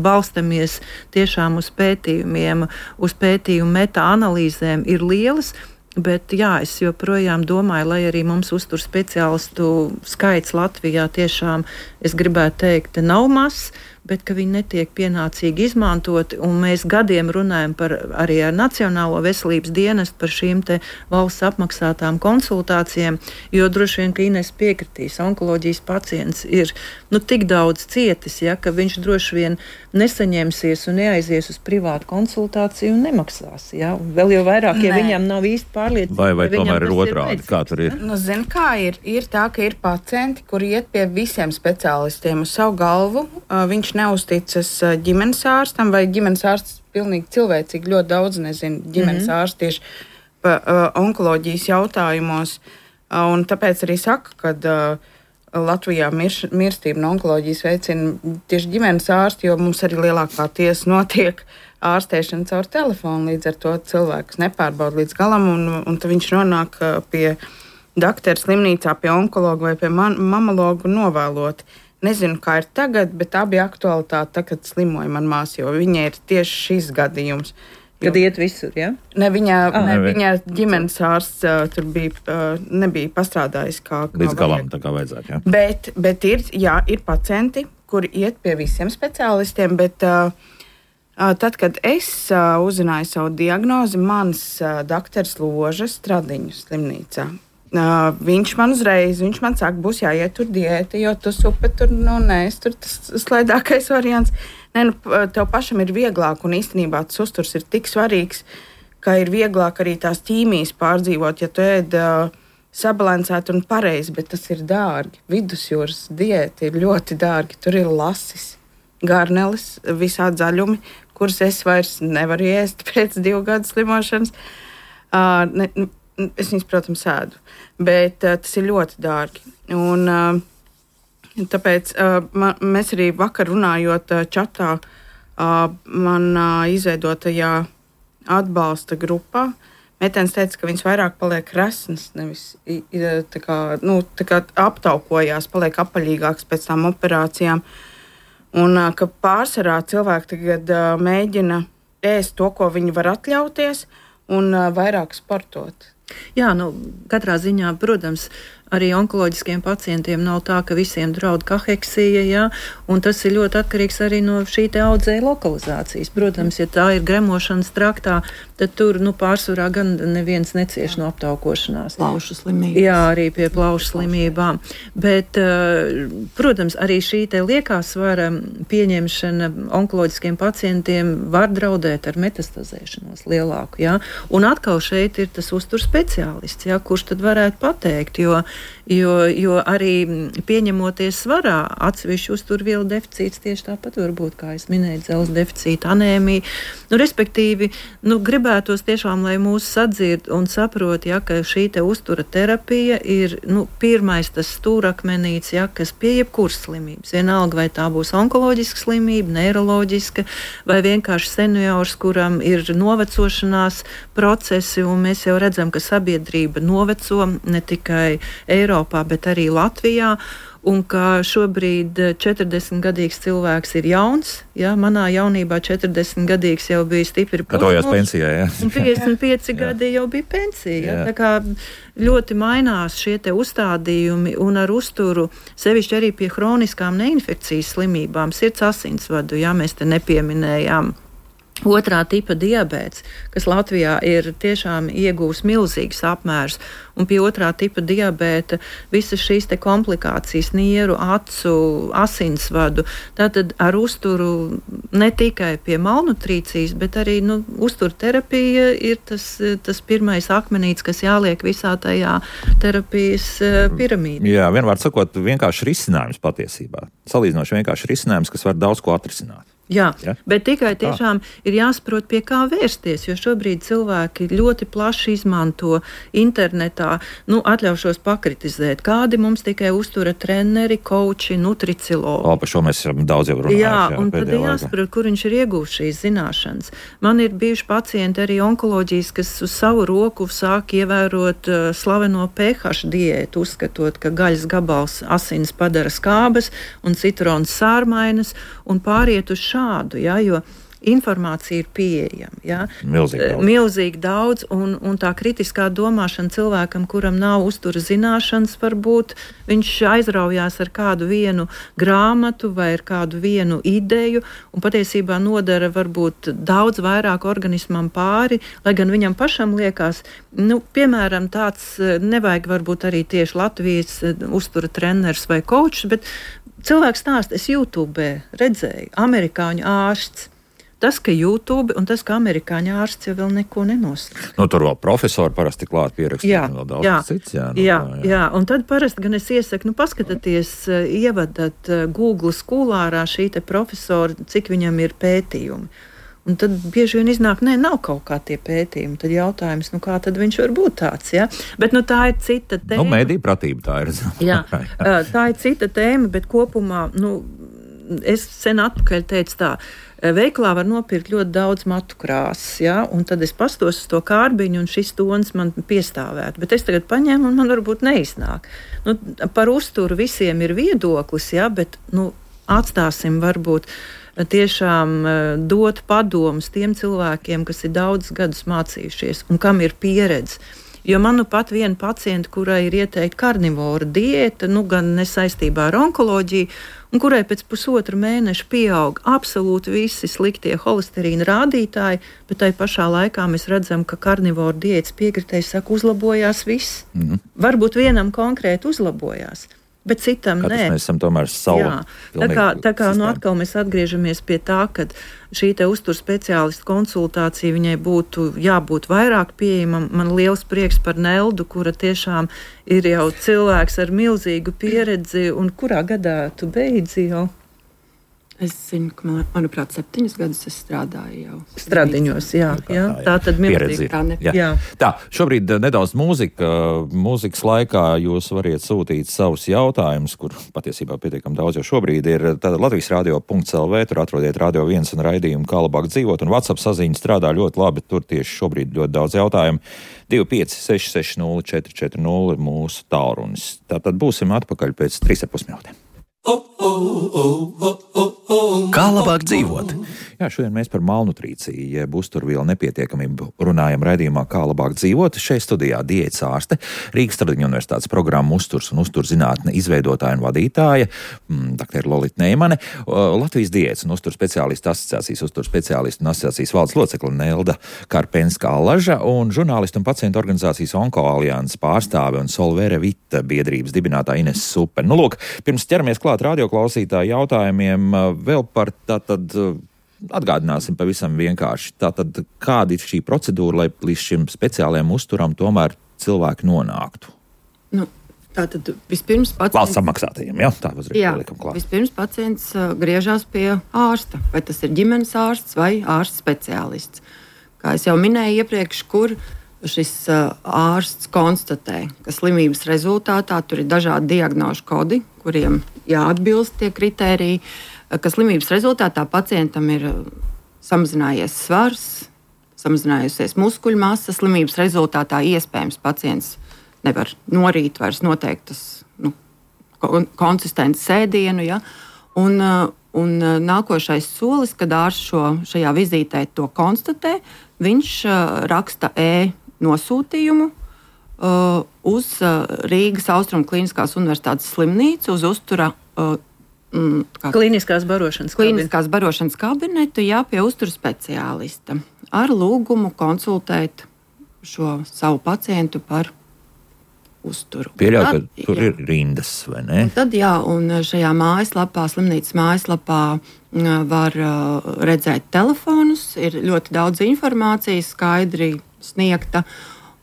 balstamies tiešām uz pētījumiem, uz pētījumu meta-analīzēm ir lielas. Bet jā, es joprojām domāju, lai arī mums uztur speciālistu skaits Latvijā tiešām, es gribētu teikt, nav mazs, bet ka viņi netiek pienācīgi izmantoti, un mēs gadiem runājam par arī ar Nacionālo veselības dienestu par šīm te valsts apmaksātām konsultācijām, jo droši vien, ka Ines piekritīs, onkoloģijas pacients ir nu, tik daudz cietis, ja, ka viņš droši vien nesaņemsies un neaizies uz privātu konsultāciju un nemaksās. Ja. Vēl jau vairāk, ja Nē. viņam nav īsti pārliecība. Vai, vai tomēr ir otrādi, kā tur ir? Nu, zin, kā ir? Ir tā, ka ir pacienti, kuri iet pie visiem speciālistiem uz savu galvu. Uh, viņš neuzticas ģimenes ārstam, vai ģimenes ārsts pilnīgi cilvēcīgi ļoti daudz nezina ģimenes mm-hmm. ārsts tieši pa uh, onkoloģijas jautājumos. Uh, un tāpēc arī saka, ka uh, Latvijā mirš, mirstība no onkoloģijas veicina tieši ģimenes ārsti, jo mums arī lielākā tiesa notiek ārstēšana caur telefonu. Līdz ar to cilvēks nepārbauda līdz galam, un, un tad viņš nonāk uh, pie doktora slimnīcā, pie onkologa vai pie man, mamologa novēloti. Nezinu, kā ir tagad, bet tā bija aktualitāte, tā, kad slimoja man māsa, jo viņai ir tieši šis gadījums. Kad jo, iet visur, ja? Ne, viņa, ah, ne, viņa ģimenes ārsts uh, tur bija, uh, nebija pastrādājis kā... Līdz galam, tā kā vajadzētu, jā. Bet, bet ir, jā, ir pacienti, kuri iet pie visiem speciālistiem, bet uh, uh, tad, kad es uh, uzzināju savu diagnozi, mans uh, doktors Loža Stradiņu slimnīcā. Uh, viņš man uzreiz, viņš man saka, būs jāiet tur diēti, jo tu supe tur, nu, nē, es tur tas slaidākais variants. Nē, nu, tev pašam ir vieglāk, un īstenībā tas uzturs ir tik svarīgs, ka ir vieglāk arī tās ķīmijas pārdzīvot, ja tu ēd uh, sabalansēt un pareizi, bet tas ir dārgi. Vidusjūras diēti ir ļoti dārgi, tur ir lasis, garnelis, visādi zaļumi, kurus es vairs nevaru ēst pēc divu gadu slimošanas. Uh, ne, Es viņus, protams, ēdu, bet uh, tas ir ļoti dārgi. Un, uh, tāpēc uh, man, mēs arī vakar runājot uh, čatā, uh, man uh, izveidotajā atbalsta grupā, Mētens teica, ka viņas vairāk paliek resnas, nevis tā kā, nu, tā kā aptaukojās, paliek apaļīgāks pēc tām operācijām. Un uh, ka pārsvarā cilvēki tagad uh, mēģina ēst to, ko viņi var atļauties, un uh, vairāk sportot. Jā, nu, katrā ziņā, protams, arī onkoloģiskiem pacientiem nav tā, ka visiem draud kaheksija, jā, un tas ir ļoti atkarīgs arī no šī te audzēja lokalizācijas. Protams, ja tā ir gremošanas traktā, tad tur, nu, pārsvarā gan neviens necieš no aptaukošanās. Plaušu slimības. Jā, arī pie plaušu slimībām. Bet, protams, arī šī te liekā svara pieņemšana onkoloģiskiem pacientiem var draudēt ar metastazēšanos lielāku, jā. Un atkal šeit ir tas uztur speciālists, jā, kurš tad varētu pateikt, jo Jo, jo arī pieņemoties svarā, atsevišķi uzturvielu deficīts tieši tāpat var būt, kā es minēju, dzelzs deficīta, anēmija. Nu, respektīvi, nu, gribētos tiešām, lai mūs sadzird un saprot, ja, ka šī te uztura terapija ir nu, pirmais tas stūrakmenīts, ja, kas pie jebkuras slimības. Vienalga, vai tā būs onkoloģiska slimība, neiroloģiska, vai vienkārši seniors, kuram ir novecošanās procesi, un mēs jau redzam, ka sabiedrība noveco ne tikai Eiropā, bet arī Latvijā, un ka šobrīd četrdesmitgadīgs cilvēks ir jauns, ja, manā jaunībā četrdesmitgadīgs jau bija stipri gatavojās pensijā, jā. Un piecdesmit pieci gadi jau bija pensija, ja, tā kā ļoti mainās šie te uzstādījumi, un ar uzturu, sevišķi arī pie hroniskām neinfekcijas slimībām, sirds asinsvadu, ja, mēs te nepieminējām. Otrā tipa diabēts, kas Latvijā ir tiešām iegūs milzīgs apmērs, un pie otrā tipa diabēta visas šīs te komplikācijas, nieru, acu, asinsvadu, tātad ar uzturu ne tikai pie malnutrīcijas, bet arī nu, uzturterapija ir tas, tas pirmais akmenīts, kas jāliek visā tajā terapijas piramīdē. Jā, vienvārds sakot, vienkārši risinājums patiesībā. Salīdzinoši vienkārši risinājums, kas var daudz ko atrisināt. Jā, ja? Bet tikai tiešām ir jāsaprot, pie kā vērsties, jo šobrīd cilvēki ļoti plaši izmanto internetā, nu, atļaušos pakritizēt, kādi mums tikai uztura treneri, koči, nutriciologi. O, par šo mēs daudz jau runājam. Jā, jā, un tad ir jāsaprot, kur viņš ir iegūst šīs zināšanas. Man ir bijuši pacienti arī onkoloģijas, kas uz savu roku sāk ievērot uh, slaveno pH diētu, uzskatot, ka gaļas gabals asins padara skābes un citrons sārmainas un pāriet uz šādu. Ja, jo informācija ir pieejama. Ja? Milzīgi daudz. Milzīgi daudz, un, un tā kritiskā domāšana cilvēkam, kuram nav uztura zināšanas, varbūt viņš aizraujās ar kādu vienu grāmatu vai ar kādu vienu ideju, un patiesībā nodara varbūt daudz vairāk organismam pāri, lai gan viņam pašam liekas, nu, piemēram, tāds nevajag varbūt arī tieši Latvijas uztura treneris vai kočs, bet cilvēks stāsta, es YouTube redzēju, amerikāņu ārsts. Tas, ka YouTube un tas, ka amerikāņu ārsts jau vēl neko nenosaka. Nu, tur vēl profesori parasti klāt pierakstīja vēl daudz jā, cits. Jā, nu, jā, jā. jā, un tad parasti gan es iesaku, nu, paskatieties, ievadat Google skolārā šī te profesora, cik viņam ir pētījumi. Un tad bieži vien iznāk, nē, nav kaut kā tie pētījumi. Tad jautājums, nu kā tad viņš var būt tāds, ja? Bet, nu, tā ir cita tēma. Nu, mediju pratība tā ir. Jā, tā ir cita tēma, bet kopumā, nu, es sen atpakaļ teicu tā, veiklā var nopirkt ļoti daudz matu krāsas, ja? Un tad es pastos uz to kārbiņu, un šis tons man piestāvētu. Bet es tagad paņēmu, un man varbūt neiznāk. Nu, par uzturu visiem ir viedoklis, ja? Bet, nu, atstāsim varbūt tiešām dot padomus tiem cilvēkiem, kas ir daudz gadus mācījušies un kam ir pieredze. Jo man nu pat viena pacienta, kurai ir ieteikta karnivora diēta, nu gan nesaistībā ar onkoloģiju, un kurai pēc pusotra mēneša pieaug absolūti visi sliktie holesterīna rādītāji, bet tai pašā laikā mēs redzam, ka karnivora diētas piekritējs saka, uzlabojās viss. Mm-hmm. Varbūt vienam konkrēti uzlabojās. Bet citam Katrs nē. Mēs esam tomēr savu. Tā kā, tā kā nu atkal mēs atgriežamies pie tā, ka šī te uztur speciālistu konsultācija viņai būtu jābūt vairāk pieejamam. Man liels prieks par Neldu, kura tiešām ir jau cilvēks ar milzīgu pieredzi, un kurā gadā tu beidzi jau? Es zinu, ka, man, manuprāt, septiņus gadus es strādāju jau. Stradiņos, jā. jā. Tā tad milzīgi. Tā, jā. Jā. Tā, šobrīd nedaudz mūzika. Mūzikas laikā jūs variet sūtīt savus jautājumus, kur patiesībā pietiekam daudz jau šobrīd ir. Tātad Latvijas radio punkts el vē, tur atrodiet Radio viens un raidījumu Kā labāk dzīvot, un WhatsApp saziņa strādā ļoti labi. Tur tieši šobrīd ļoti daudz jautājumu. divi pieci seši seši nulle četri četri nulle ir mūsu tālrunis. Tātad būsim atpakaļ pēc trīs ar pus minūtēm. Kā labāk dzīvot? Jā, šodien mēs par malnutrīciju, jeb uzturvielu nepietiekamību runājam raidījumā Kā labāk dzīvot. Šeit studijā diētas ārste, Rīgas Tradiņu universitātes programmu uzturs un uzturzinātne izveidotāja un vadītāja, doktora Lolita Neimane, Latvijas diētas un uzturs speciālistu asociācijas, uzturs speciālistu un asociācijas valdes locekle Nelda Karpenska-Allaža un žurnālistu un pacientu organizācijas Onkoalianses pārstāve un Solvere Vita biedrības dibinātāja Ines Supe. Nu, lūk, pirms ķeramies klāt radioklausītāju jautājumiem, vēl par tātad atgādināsim pavisam vienkārši. Tātad, kāda ir šī procedūra, lai līdz šim speciālajiem uzturam tomēr cilvēki nonāktu? Nu, tātad vispirms pacients... Valsts apmaksātajiem, jā? Tā uzreiz pielikam klāt. Vispirms pacients uh, griežās pie ārsta, vai tas ir ģimenes ārsts vai ārsts speciālists. Kā es jau minēju iepriekš, kur šis uh, ārsts konstatē, ka slimības rezultātā tur ir dažādi diagnožu kodi, kuriem jāatbilst tie kritēriji, ka slimības rezultātā pacientam ir samazinājies svars, samazinājusies muskuļu masa, slimības rezultātā iespējams pacients nevar norīt vairs noteiktas nu, konsistences ēdienu, ja? un, un nākošais solis, kad ārsts šo, šajā vizītē to konstatē, viņš raksta e-nosūtījumu uh, uz Rīgas Austrumu Kliniskās universitātes slimnīcu, uz uztura uh, Mm, kliniskās barošanas kliniskās barošanas kabinetu, jā, pie uzturu speciālista ar lūgumu konsultēt šo savu pacientu par uzturu. Pieļauj, ka tur jā. Ir rindas, vai ne? Un tad, jā, un šajā mājaslapā, slimnīcas mājaslapā var uh, redzēt telefonus, ir ļoti daudz informācijas skaidri sniegta,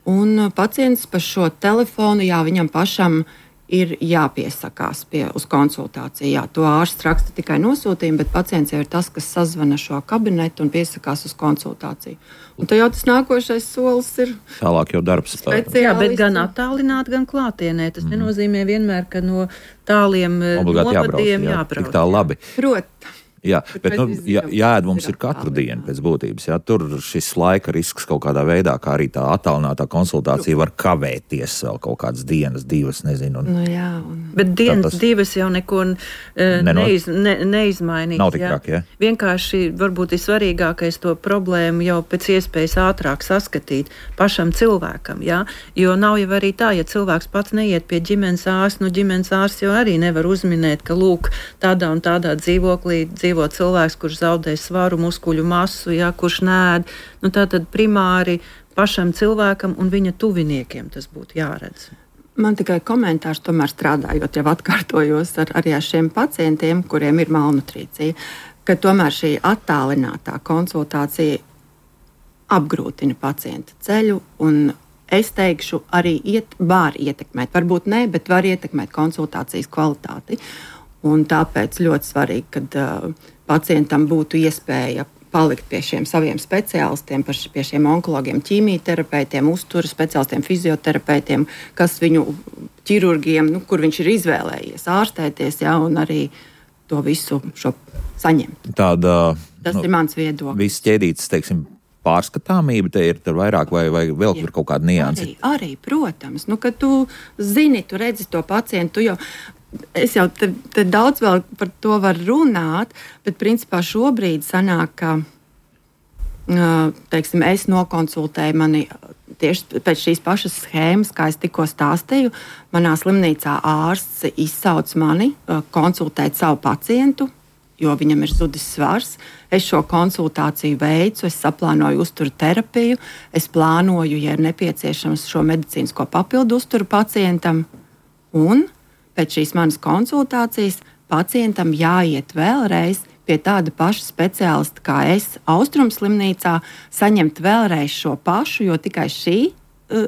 un pacients par šo telefonu, jā, viņam pašam ir jāpiesakās pie, uz konsultāciju. Jā, to ārsts raksta tikai nosūtījumu, bet pacients jau ir tas, kas sazvana šo kabinetu un piesakās uz konsultāciju. Un tad jau tas nākošais solis ir tālāk jau darbs. Jā, bet gan attālināt, gan klātienē. Tas mm. nenozīmē vienmēr, ka no tāliem obligāti novadiem jābrauc. jābrauc. Tik tā labi. Prot. Jā, bet nu, jā, jāēd mums ir katru dienu pēc būtības. Jā. Tur šis laika risks kaut kādā veidā, kā arī tā attālinātā konsultācija var kavēties vēl kaut kādas dienas, divas, nezinu. Un, nu, jā, un... Bet dienas tas... divas jau neko uh, neiz, ne, neizmainīs. Nav tik traki, jā. Vienkārši varbūt ir svarīgākais to problēmu jau pēc iespējas ātrāk saskatīt pašam cilvēkam, jā. Jo nav jau arī tā, ja cilvēks pats neiet pie ģimenes ārsta, nu ģimenes ārsts jau arī nevar uzminēt, ka lūk, tādā un tādā dzīvoklī dzīvo cilvēks, kurš zaudē svaru, muskuļu masu, jā, kurš nēd. Nu, tātad primāri pašam cilvēkam un viņa tuviniekiem tas būtu jāredz. Man tikai komentārs, tomēr strādājot, jau atkārtojos ar, arī ar šiem pacientiem, kuriem ir malnutrīcija, ka tomēr šī attālinātā konsultācija apgrūtina pacienta ceļu un es teikšu, arī iet, var ietekmēt, varbūt ne, bet var ietekmēt konsultācijas kvalitāti. Un tāpēc ļoti svarīgi, kad uh, pacientam būtu iespēja palikt pie šiem saviem speciālistiem, pie šiem onkologiem, ķīmijterapeitiem, uzturas speciālistiem, fizioterapeitiem, kas viņu ķirurgiem, nu, kur viņš ir izvēlējies ārstēties, jā, un arī to visu šo saņemt. Tāda, Tas nu, ir mans viedoklis. Viss ķēdītas, teiksim, pārskatāmība te ir vairāk vai, vai vēl tur kaut kāda nianse? Arī, arī, protams. Nu, kad tu zini, tu redzi to pacientu, jo es jau te, te daudz vēl par to var runāt, bet principā šobrīd sanāk, ka teiksim, es nokonsultēju mani tieši pēc šīs pašas schēmas, kā es tikko stāstīju. Manā slimnīcā ārsts izsauc mani konsultēt savu pacientu, jo viņam ir zudis svars. Es šo konsultāciju veicu, es saplānoju uzturu terapiju, es plānoju, ja ir nepieciešams šo medicīnisko papildu uzturu pacientam, un pēc šīs manas konsultācijas pacientam jāiet vēlreiz pie tāda paša speciālista kā es Austrumslimnīcā, saņemt vēlreiz šo pašu, jo tikai šī uh,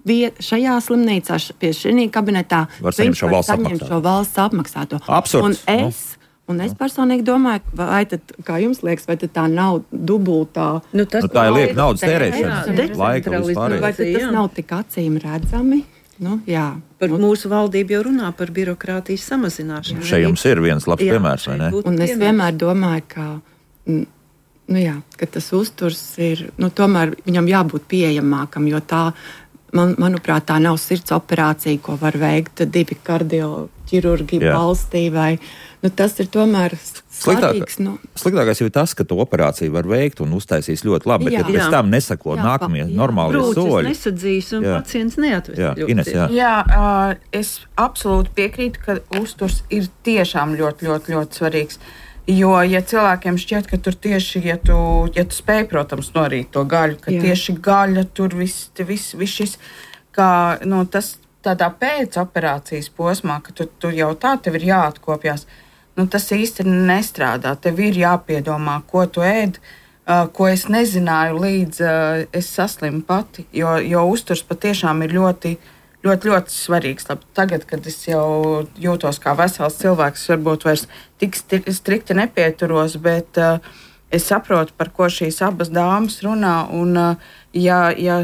viet, šajā slimnīcā, pie šī kabinetā var saņemt šo valsts apmaksāto. Šo valsts apmaksāto. Absurds. Un es, Un es personīgi domāju, vai tad, kā jums liekas, vai tā nav dubultā? Nu, tas, nu, tā ir lieka naudas tērēšana, laika vispār. Vai tas jā. Nav tik acīm redzami? Nu, jā. Par mūsu valdību jau runā par birokrātijas samazināšanu. Šeit jums ir viens labs jā, piemērs, vai ne? Un es vienmēr domāju, ka, nu jā, ka tas uzturs ir, nu tomēr viņam jābūt pieejamākam, jo tā, man, manuprāt, tā nav sirds operācija, ko var veikt divi kardioķirurgi valstī vai... Nu, tas ir tomēr svarīgs. Nu. Sliktākais jau ir tas, ka to operāciju var veikt un uztaisīs ļoti labi, bet jā, ja pēc tam nesako jā, nākamie jā. Normālie Brūcis soļi. Nesadzīs un jā. Pacients neatvest. Ines, jā, jā uh, es absolūti piekrītu, ka uzturs ir tiešām ļoti, ļoti, ļoti svarīgs. Jo, ja cilvēkiem šķiet, ka tur tieši, ja tu, ja tu spēj, protams, norīt to gaļu, ka jā. Tieši gaļa tur viss, viss, viss šis, kā, nu, tas tādā pēcoperācijas posmā, ka tu, tu jau tā tev ir jāatkopjās. Nu, tas īsti nestrādā. Tev ir jāpiedomā, ko tu ēd, uh, ko es nezināju līdz uh, es saslimu pati, jo, jo uzturs patiešām ir ļoti, ļoti, ļoti svarīgs. Labi, tagad, kad es jau jūtos kā vesels cilvēks, varbūt vairs tik strikti nepieturos, bet uh, es saprotu, par ko šīs abas dāmas runā, un uh, ja, ja,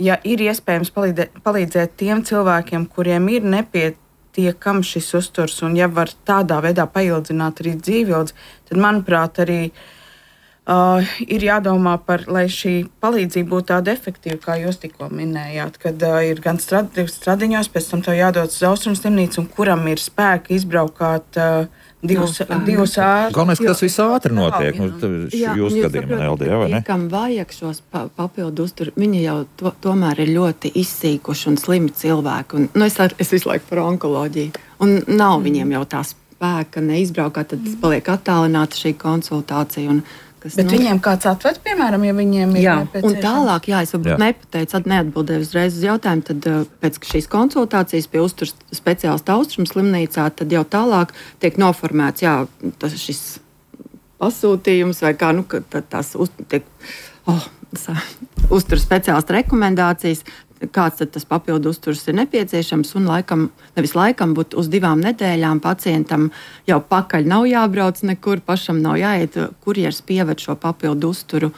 ja ir iespējams palīdzēt, palīdzēt tiem cilvēkiem, kuriem ir nepieciešams, tiekam šis uzturs, un ja var tādā veidā paildzināt arī dzīvildzi, tad, manuprāt, arī uh, ir jādomā par, lai šī palīdzība būtu tāda efektīva, kā jūs tikko minējāt, kad uh, ir gan strad, stradiņos, pēc tam tev jādodas uz Austrumslimnīcu, un kuram ir spēki izbraukāt uh, divus, no, divus ārus. Galvenais, ka tas viss ātri notiek. Jā, nu, jā, jūs gadījumā, Eldi, jā, vai ne? Kam vajag šos pa, papildu uzturu, viņi jau to, tomēr ir ļoti izsīkuši un slimi cilvēki. Un, nu, es, ar, es visu laiku par onkoloģiju. Un nav mm. viņiem jau tā spēka neizbraukāt, tad paliek attālināta šī konsultācija. Un, kas, bet nu, viņiem kāds atved, piemēram, ja viņiem ir nepieciešams? Un tālāk, jā, es varbūt nepateicu, neatbildēju uzreiz uz jautājumu, tad pēc šīs konsultācijas pie uzturs speciālista Austrumslimnīcā, tad jau tālāk tiek noformēts, jā, tas šis pasūtījums vai kā, nu, ka tās uz, tiek, oh, uzturs speciālista rekomendācijas, kāds tad tas papildu uzturs ir nepieciešams, un laikam, nevis laikam, bet uz divām nedēļām pacientam jau pakaļ nav jābrauc nekur, pašam nav jāiet, kurjers pieved šo papildu uzturu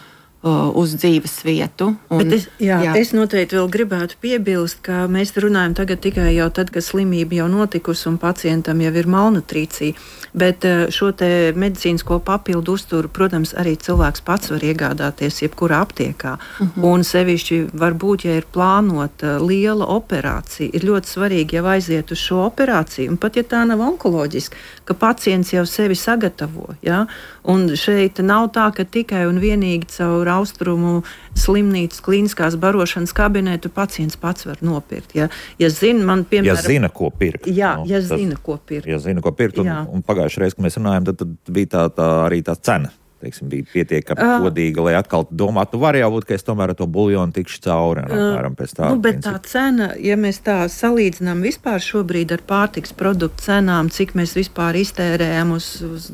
uz dzīves vietu. Un, es, jā, jā. Es noteikti vēl gribētu piebilst, ka mēs runājam tagad tikai jau tad, kad slimība jau notikusi un pacientam jau ir malnutrīcija. Bet šo te medicīnisko papildu uzturu, protams, arī cilvēks pats var iegādāties jebkurā aptiekā. Uh-huh. Un sevišķi varbūt, ja ir plānota liela operācija, ir ļoti svarīgi jau aiziet uz šo operāciju. Un pat ja tā nav onkoloģiska, ka pacients jau sevi sagatavo. Ja? Un šeit nav tā, ka tikai un vienīgi caur austrumu slimnīcas klīniskās barošanas kabinetu pacients pats var nopirkt. Ja, ja zina, man, piemēram, ja zina, ko pirkt. Jā, nu, ja tas, zina, ko pirkt. Ja zina, ko pirkt. Un, un pagājušajā reizē, kad mēs runājam, tad, tad bija tā, tā, arī tā cena. Teiksim, bija pietiekami uh, godīga, lai atkal domātu, nu var jau būt, ka es tomēr ar to buljonu tikšu cauri. Uh, pēc tā, nu, bet principu. Tā cena, ja mēs tā salīdzinām vispār šobrīd ar pārtiks produktu cenām, cik mēs vispār iztērējam uz, uz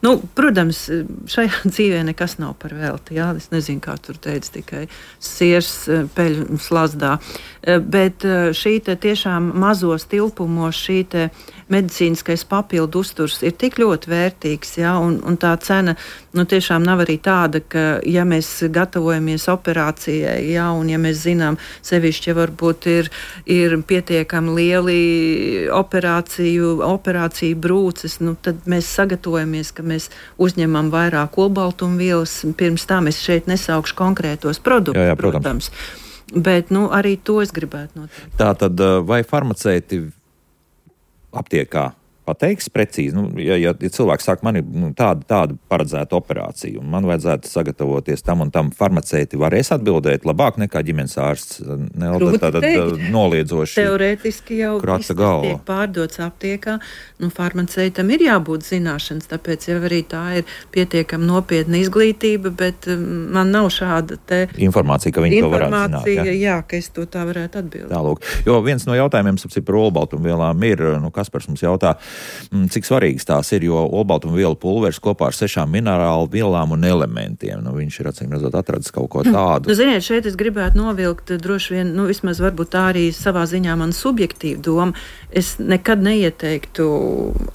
nu, protams, šajā dzīvē nekas nav par velti, jā, es nezinu, kā tur teica, tikai siers peļu slazdā, bet šī te tiešām mazos tilpumos, šī te medicīniskais papildu uzturs ir tik ļoti vērtīgs, jā, un, un tā cena nu, tiešām nav arī tāda, ka, ja mēs gatavojamies operācijai, jā, un ja mēs zinām, sevišķi, ja varbūt ir, ir pietiekami lieli operāciju, operāciju brūces, nu, tad mēs sagatavojamies, ka mēs uzņemam vairāk olbaltumvielas. Pirms tam es šeit nesaukšu konkrētos produktus, jā, jā, protams. protams. Bet, nu, arī to es gribētu noteikti. Tā tad, vai farmaceiti aptiekā pateiks precīzi, nu, ja, ja, ja cilvēks saka, man ir nu, tāda, tāda paredzēta operācija, un man vajadzētu sagatavoties tam un tam, farmaceiti varēs atbildēt labāk nekā ģimenes ārsts, ne, tātad noliedzoši. Teorētiski jau viss tiek pārdots aptiekā, nu, farmaceitam ir jābūt zināšanas, tāpēc jau arī tā ir pietiekami nopietna izglītība, bet man nav šāda te informācija, ka viņi to varētu zināt. Jā, jā, ka es to tā varētu atbildēt. Tālūk, jo viens no jautājumiem, sapcīt, par olbaltumvielām ir, nu, Kaspars mums jautā, cik svarīgas tās ir, jo olbaltumvielu pulveris kopā ar sešām minerālu vielām un elementiem. Nu, viņš ir, acīm redzot, atradis kaut ko tādu. Nu, ziniet, šeit es gribētu novilkt droši vien, nu, vismaz varbūt tā arī savā ziņā man subjektīva doma. Es nekad neieteiktu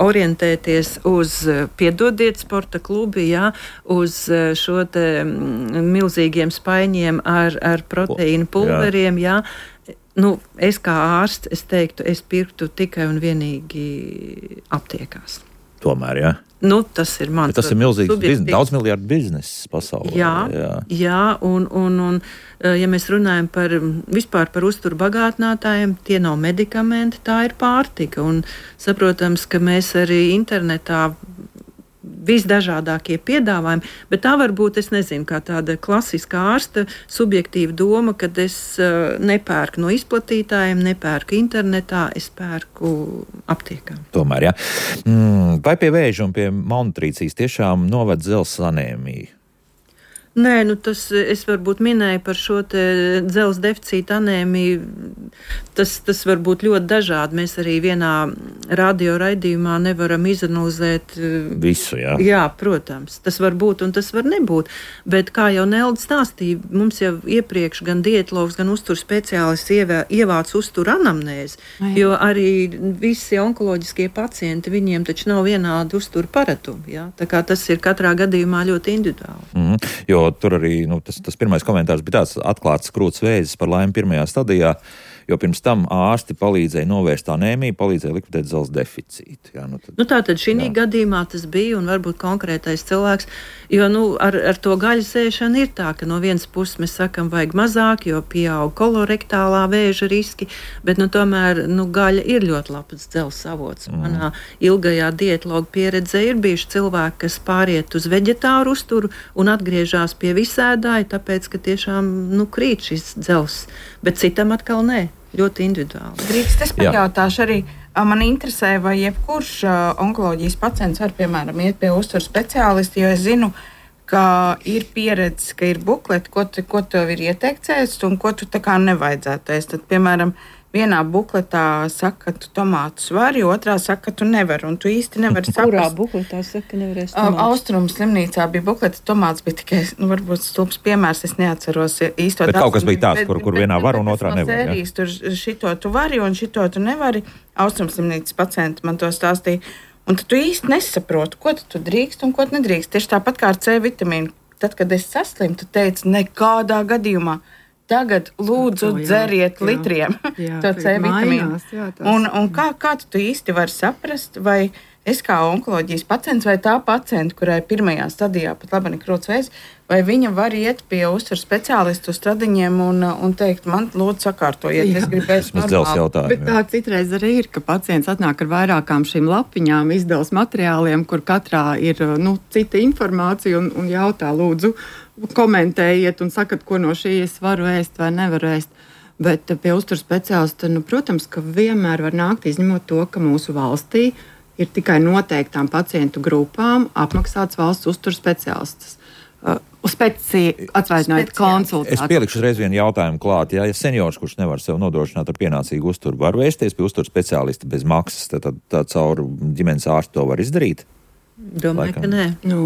orientēties uz, piedodiet, sporta klubi, jā, uz šo te milzīgiem spaiņiem ar, ar proteīnu pulveriem, jā. jā. Nu, es kā ārsts, es teiktu, es pirktu tikai un vienīgi aptiekās. Tomēr, jā? Nu, tas ir mans. Bet tas ir milzīgs biznes, daudz miljardu bizness pasaulē. Jā, jā. jā un, un, un, ja mēs runājam par vispār par uzturu bagātinātājiem, tie nav medikamenti, tā ir pārtika. Un saprotams, ka mēs arī internetā visdažādākie piedāvājumi, bet tā varbūt, es nezinu, kā tāda klasiskā ārsta subjektīva doma, kad es uh, nepērku no izplatītājiem, nepērku internetā, es pērku aptiekā. Tomēr, jā. Mm, vai pie vēža un pie malnutrīcijas tiešām noved dzelzs anēmiju? Nē, nu tas, es varbūt minēju par šo te dzelzs deficīta anēmiju, tas, tas var būt ļoti dažādi. Mēs arī vienā radio raidījumā nevaram izanalizēt visu, jā. Jā, protams, tas var būt un tas var nebūt, bet kā jau Nelda stāstīja, mums jau iepriekš gan dietologs, gan uzturu speciālists ievā, ievāc uzturu anamnēzi, jo arī visi onkoloģiskie pacienti, viņiem taču nav vienādi uzturu paradumi, jā, tā kā tas ir katrā gadījumā ļoti individuāli. Mm-hmm. Jo tur arī, nu, tas, tas pirmais komentārs bija tāds atklāts krūts vēzis par laimi pirmajā stadijā, jo pirms tam ārsti palīdzēja novērst anēmiju, palīdzēja likvidēt dzelzs deficītu. Jā, nu tad, nu tā tad šī gadījumā tas bija un varbūt konkrētais cilvēks, jo nu, ar, ar to gaļas ēšanu ir tā, ka no vienas puses mēs sakam, vajag mazāk, jo pieaug kolorektālā vēža riski, bet nu, tomēr nu, gaļa ir ļoti labs dzelzs avots. Mm. Manā ilgajā dietologa pieredzē ir bijuši cilvēki, kas pāriet uz veģetāru uzturu un atgriežās pie visēdāja, tāpēc, ka tiešām nu, krīt šis dzelzs, bet citam atkal nē. Ļoti individuāli. Drīkst, es pajautāšu arī, man interesē, vai jebkurš onkoloģijas pacients var, piemēram, iet pie uzturu speciālisti, jo es zinu, ka ir pieredze, ka ir bukleti, ko, te, ko tev ir ieteikts ēst un ko tu tā kā nevajadzētu ēst. Tad, piemēram, vienā bukletā saka, ka tu tomātus vari, otrā saka, ka tu nevari, un tu īsti nevari saprast. Kurā bukletā saka, ka nevarēs tomātus? Austrumu slimnīcā bija bukleta, tomāts bija tikai, nu, varbūt stulbs piemērs, es neatceros īsto. Bet kaut kas bija tāds, kur, kur vienā var un otrā nevar. Sērijas, tur šito tu vari un šito tu nevari. Austrumu slimnīcas pacienti man to stāstīja. Un tad tu īsti nesaproti, ko tu drīkst un ko tu nedrīkst. Tieši tāpat kā ar C vitamīnu. tad, kad es saslimu, tu teici, nekādā gadījumā. Tagad lūdzu to, jā, dzeriet jā, litriem jā, to C vitamīnu. Mainās, jā, tas... Un, un kā, kā tu īsti vari saprast, vai es kā onkoloģijas pacients vai tā pacienta, kurai pirmajā stadijā pat labi nekrūts vēzis, vai viņa var iet pie uzturu speciālistu stradiņiem un, un teikt, man lūdzu sakārtojiet, Jā. es gribēju normāli. Bet tā citreiz arī ir, ka pacients atnāk ar vairākām šīm lapiņām, izdevas materiāliem, kur katrā ir nu, cita informācija un, un jautā, lūdzu, komentējiet un sakat, ko no šīs varu ēst vai nevaru ēst. Bet pie uzturu speciālista, nu, protams, ka vienmēr var nākt izņemot to, ka mūsu valstī ir tikai noteiktām pacientu grupām apmaksāts valsts uzturu speciālists. Uh, speci... Atvainojiet, konsultāciju. Es pielikšu reiz vienu jautājumu klāt. Ja, ja seniors, kurš nevar sev nodrošināt ar pienācīgu uzturu, var vērsties pie uzturu speciālista bez maksas, tad, tad, tad caur ģimenes ārstu to var izdarīt? Domāju, Laikam. ka nē. Nu,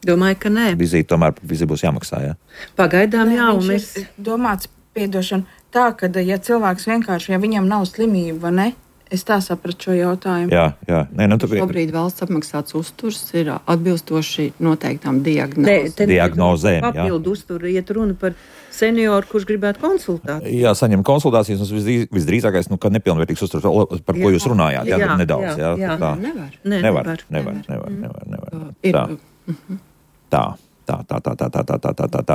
Domāju, ka nē. Vizīte tomēr vizīte būs jāmaksā, jā? Pagaidām Nē, jā, un viņš mēs... ir domāts, piedošana, tā, ka ja cilvēks vienkārši, ja viņam nav slimība, vai ne, es tā sapratu šo jautājumu. Jā, jā. Nē, nu, tu... šobrīd valsts apmaksāts uzturs ir atbilstoši noteiktām diagnozēm. Diagnozēm, jā. Papildu uzturu iet runa par senioru, kurš gribētu konsultāciju. Jā, saņem konsultācijas, un visdrīz, visdrīzākais, nu, ka nepilnvērtīgs uzturs, par ko Jā. jūs runājāt, jā, Jā, nedaudz, jā. jā, jā. Tā. Nevar. Nē, Nevar, nevar. nevar, nevar, nevar, nevar. Ir, Tā. Tā. Tā, tā, tā, tā, tā, tā, tā, tā, tā, tā.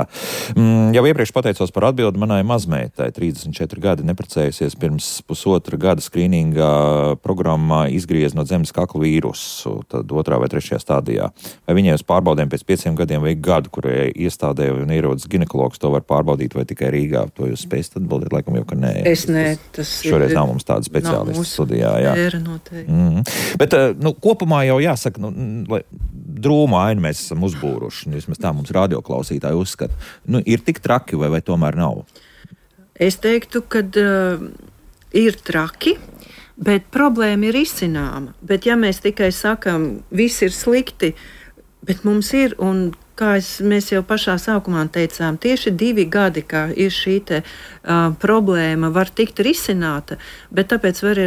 Mm, jau iepriekš pateicos par atbildi manai mazmeitai. trīsdesmit četri gadi neprecējusies, pirms pusotra gada skrīningā programmā izgriez no zemes kakla vīrusu, tad otrā vai trešajā stādijā. Vai viņai uz pārbaudēm pēc pieciem gadiem vajag gadu, kurai iestādē un ierodas ginekologs, to var pārbaudīt vai tikai Rīgā? To jūs spējat atbildēt, laikam jau, ka nē. Es nē, tas Šoreiz ir... nav mums tāda speciālista studijā, jā. Sfēra noteikti. Mm. Bet, nu, kopumā jau jāsaka, nu, lai drūmu ainu mēs esam uzbūruši, vismaz tā mums radioklausītāji uzskata. Nu, ir tik traki vai, vai tomēr nav? Es teiktu, ka uh, ir traki, bet problēma ir izcināma. Bet ja mēs tikai sakam, viss ir slikti, bet mums ir, un kā es, mēs jau pašā sākumā teicām, tieši divi gadi, kā ir šī te, uh, problēma, var tikt risināta, bet tāpēc var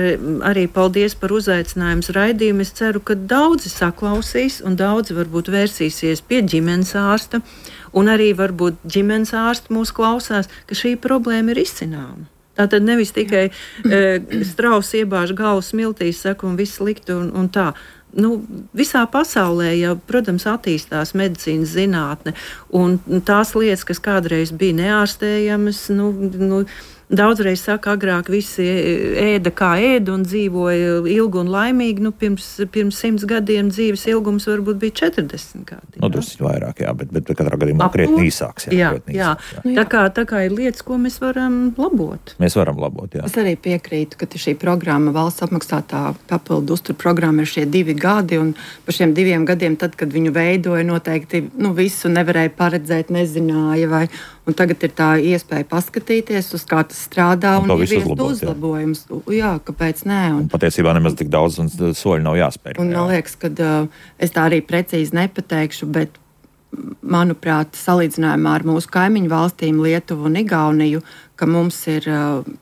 arī paldies par uzaicinājumu raidījumu. Es ceru, ka daudzi saklausīs un daudzi varbūt vērsīsies pie ģimenes ārsta, un arī varbūt ģimenes ārsti mūs klausās, ka šī problēma ir izcināma. Tātad nevis tikai uh, strauss iebāž galvu smiltīs, saka, un viss slikti un, un tā. Nu, visā pasaulē jau, protams, attīstās medicīnas zinātne, un tās lietas, kas kādreiz bija neārstējamas, nu, nu, daudzreiz saka, agrāk visi ēda kā ēda un dzīvoja ilgi un laimīgi. Nu, pirms, pirms simts gadiem dzīves ilgums varbūt bija četrdesmit gadi. Nu, drusku vairāk, jā, bet, bet katrā gadījumā krietni īsāks. Jā, jā, krietni jā. īsāks, jā. Nu, tā, kā, tā kā ir lietas, ko mēs varam labot. Mēs varam labot, jā. Es arī piekrītu, ka šī programma, valsts apmaksātā papildu uzturu programma, ir šie divi gadi, un par šiem diviem gadiem, tad, kad viņu veidoja, noteikti nu, visu nevarēja paredzēt, nezināja, vai, un tagad ir tā iespēja paskatīties, uz kā tas strādā, un, un ieviest uzlabojumus. Jā, kāpēc nē? Un, un patiesībā nemaz tik daudz un soļi nav jāspēr. Un man liekas, ka uh, es tā arī precīzi nepateikšu, bet manuprāt, salīdzinājumā ar mūsu kaimiņu valstīm, Lietuvu un Igauniju, ka mums ir uh,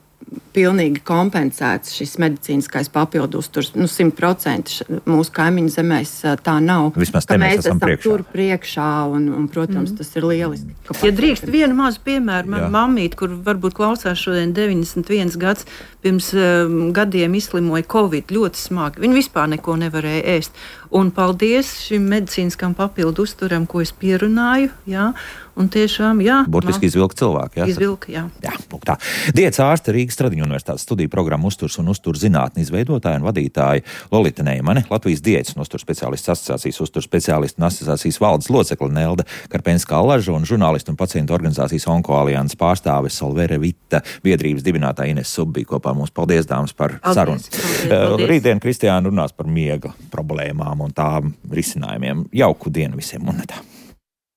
pilnīgi kompensēts šis medicīniskais papildu uzturs. Nu, simt procenti mūsu kaimiņu zemēs tā nav. Vismaz te mēs, mēs esam priekšā. Tur priekšā, un, un protams, mm. tas ir lieliski. Ja drīkst vienu mazu piemēru, man mammīt, kur varbūt klausās šodien deviņdesmit viens gads, pirms um, gadiem izslimoja Covid ļoti smagi. Viņi vispār neko nevarēja ēst. Un paldies šim medicīniskam papildu uzturam, ko es pierunāju, jā. Un tiešām, jā. Burtiski izvilka cilvēku, jā. Izvilka, jā. Jā, lūk tā. Diets ārste Rīgas Stradiņu universitātes studiju programmu uzturs un uzturs zinātni izveidotāja un vadītāja Lolita Neimane, Latvijas diētas un uzturs speciālistu asociācijas uzturs speciālistu un asociācijas valdes locekle Nelda Karpenskā-Allaža un žurnālistu un pacientu organizācijas Onkoalianses pārstāve Solvere Vita, biedrības dibinātāja Ines Subbija kopā mums. Paldies, dāmas, par paldies, sarunu. Paldies, paldies. Rītdien Kristiāna runās par miega problēmām un tām risinājumiem. Jauku dienu visiem un tā.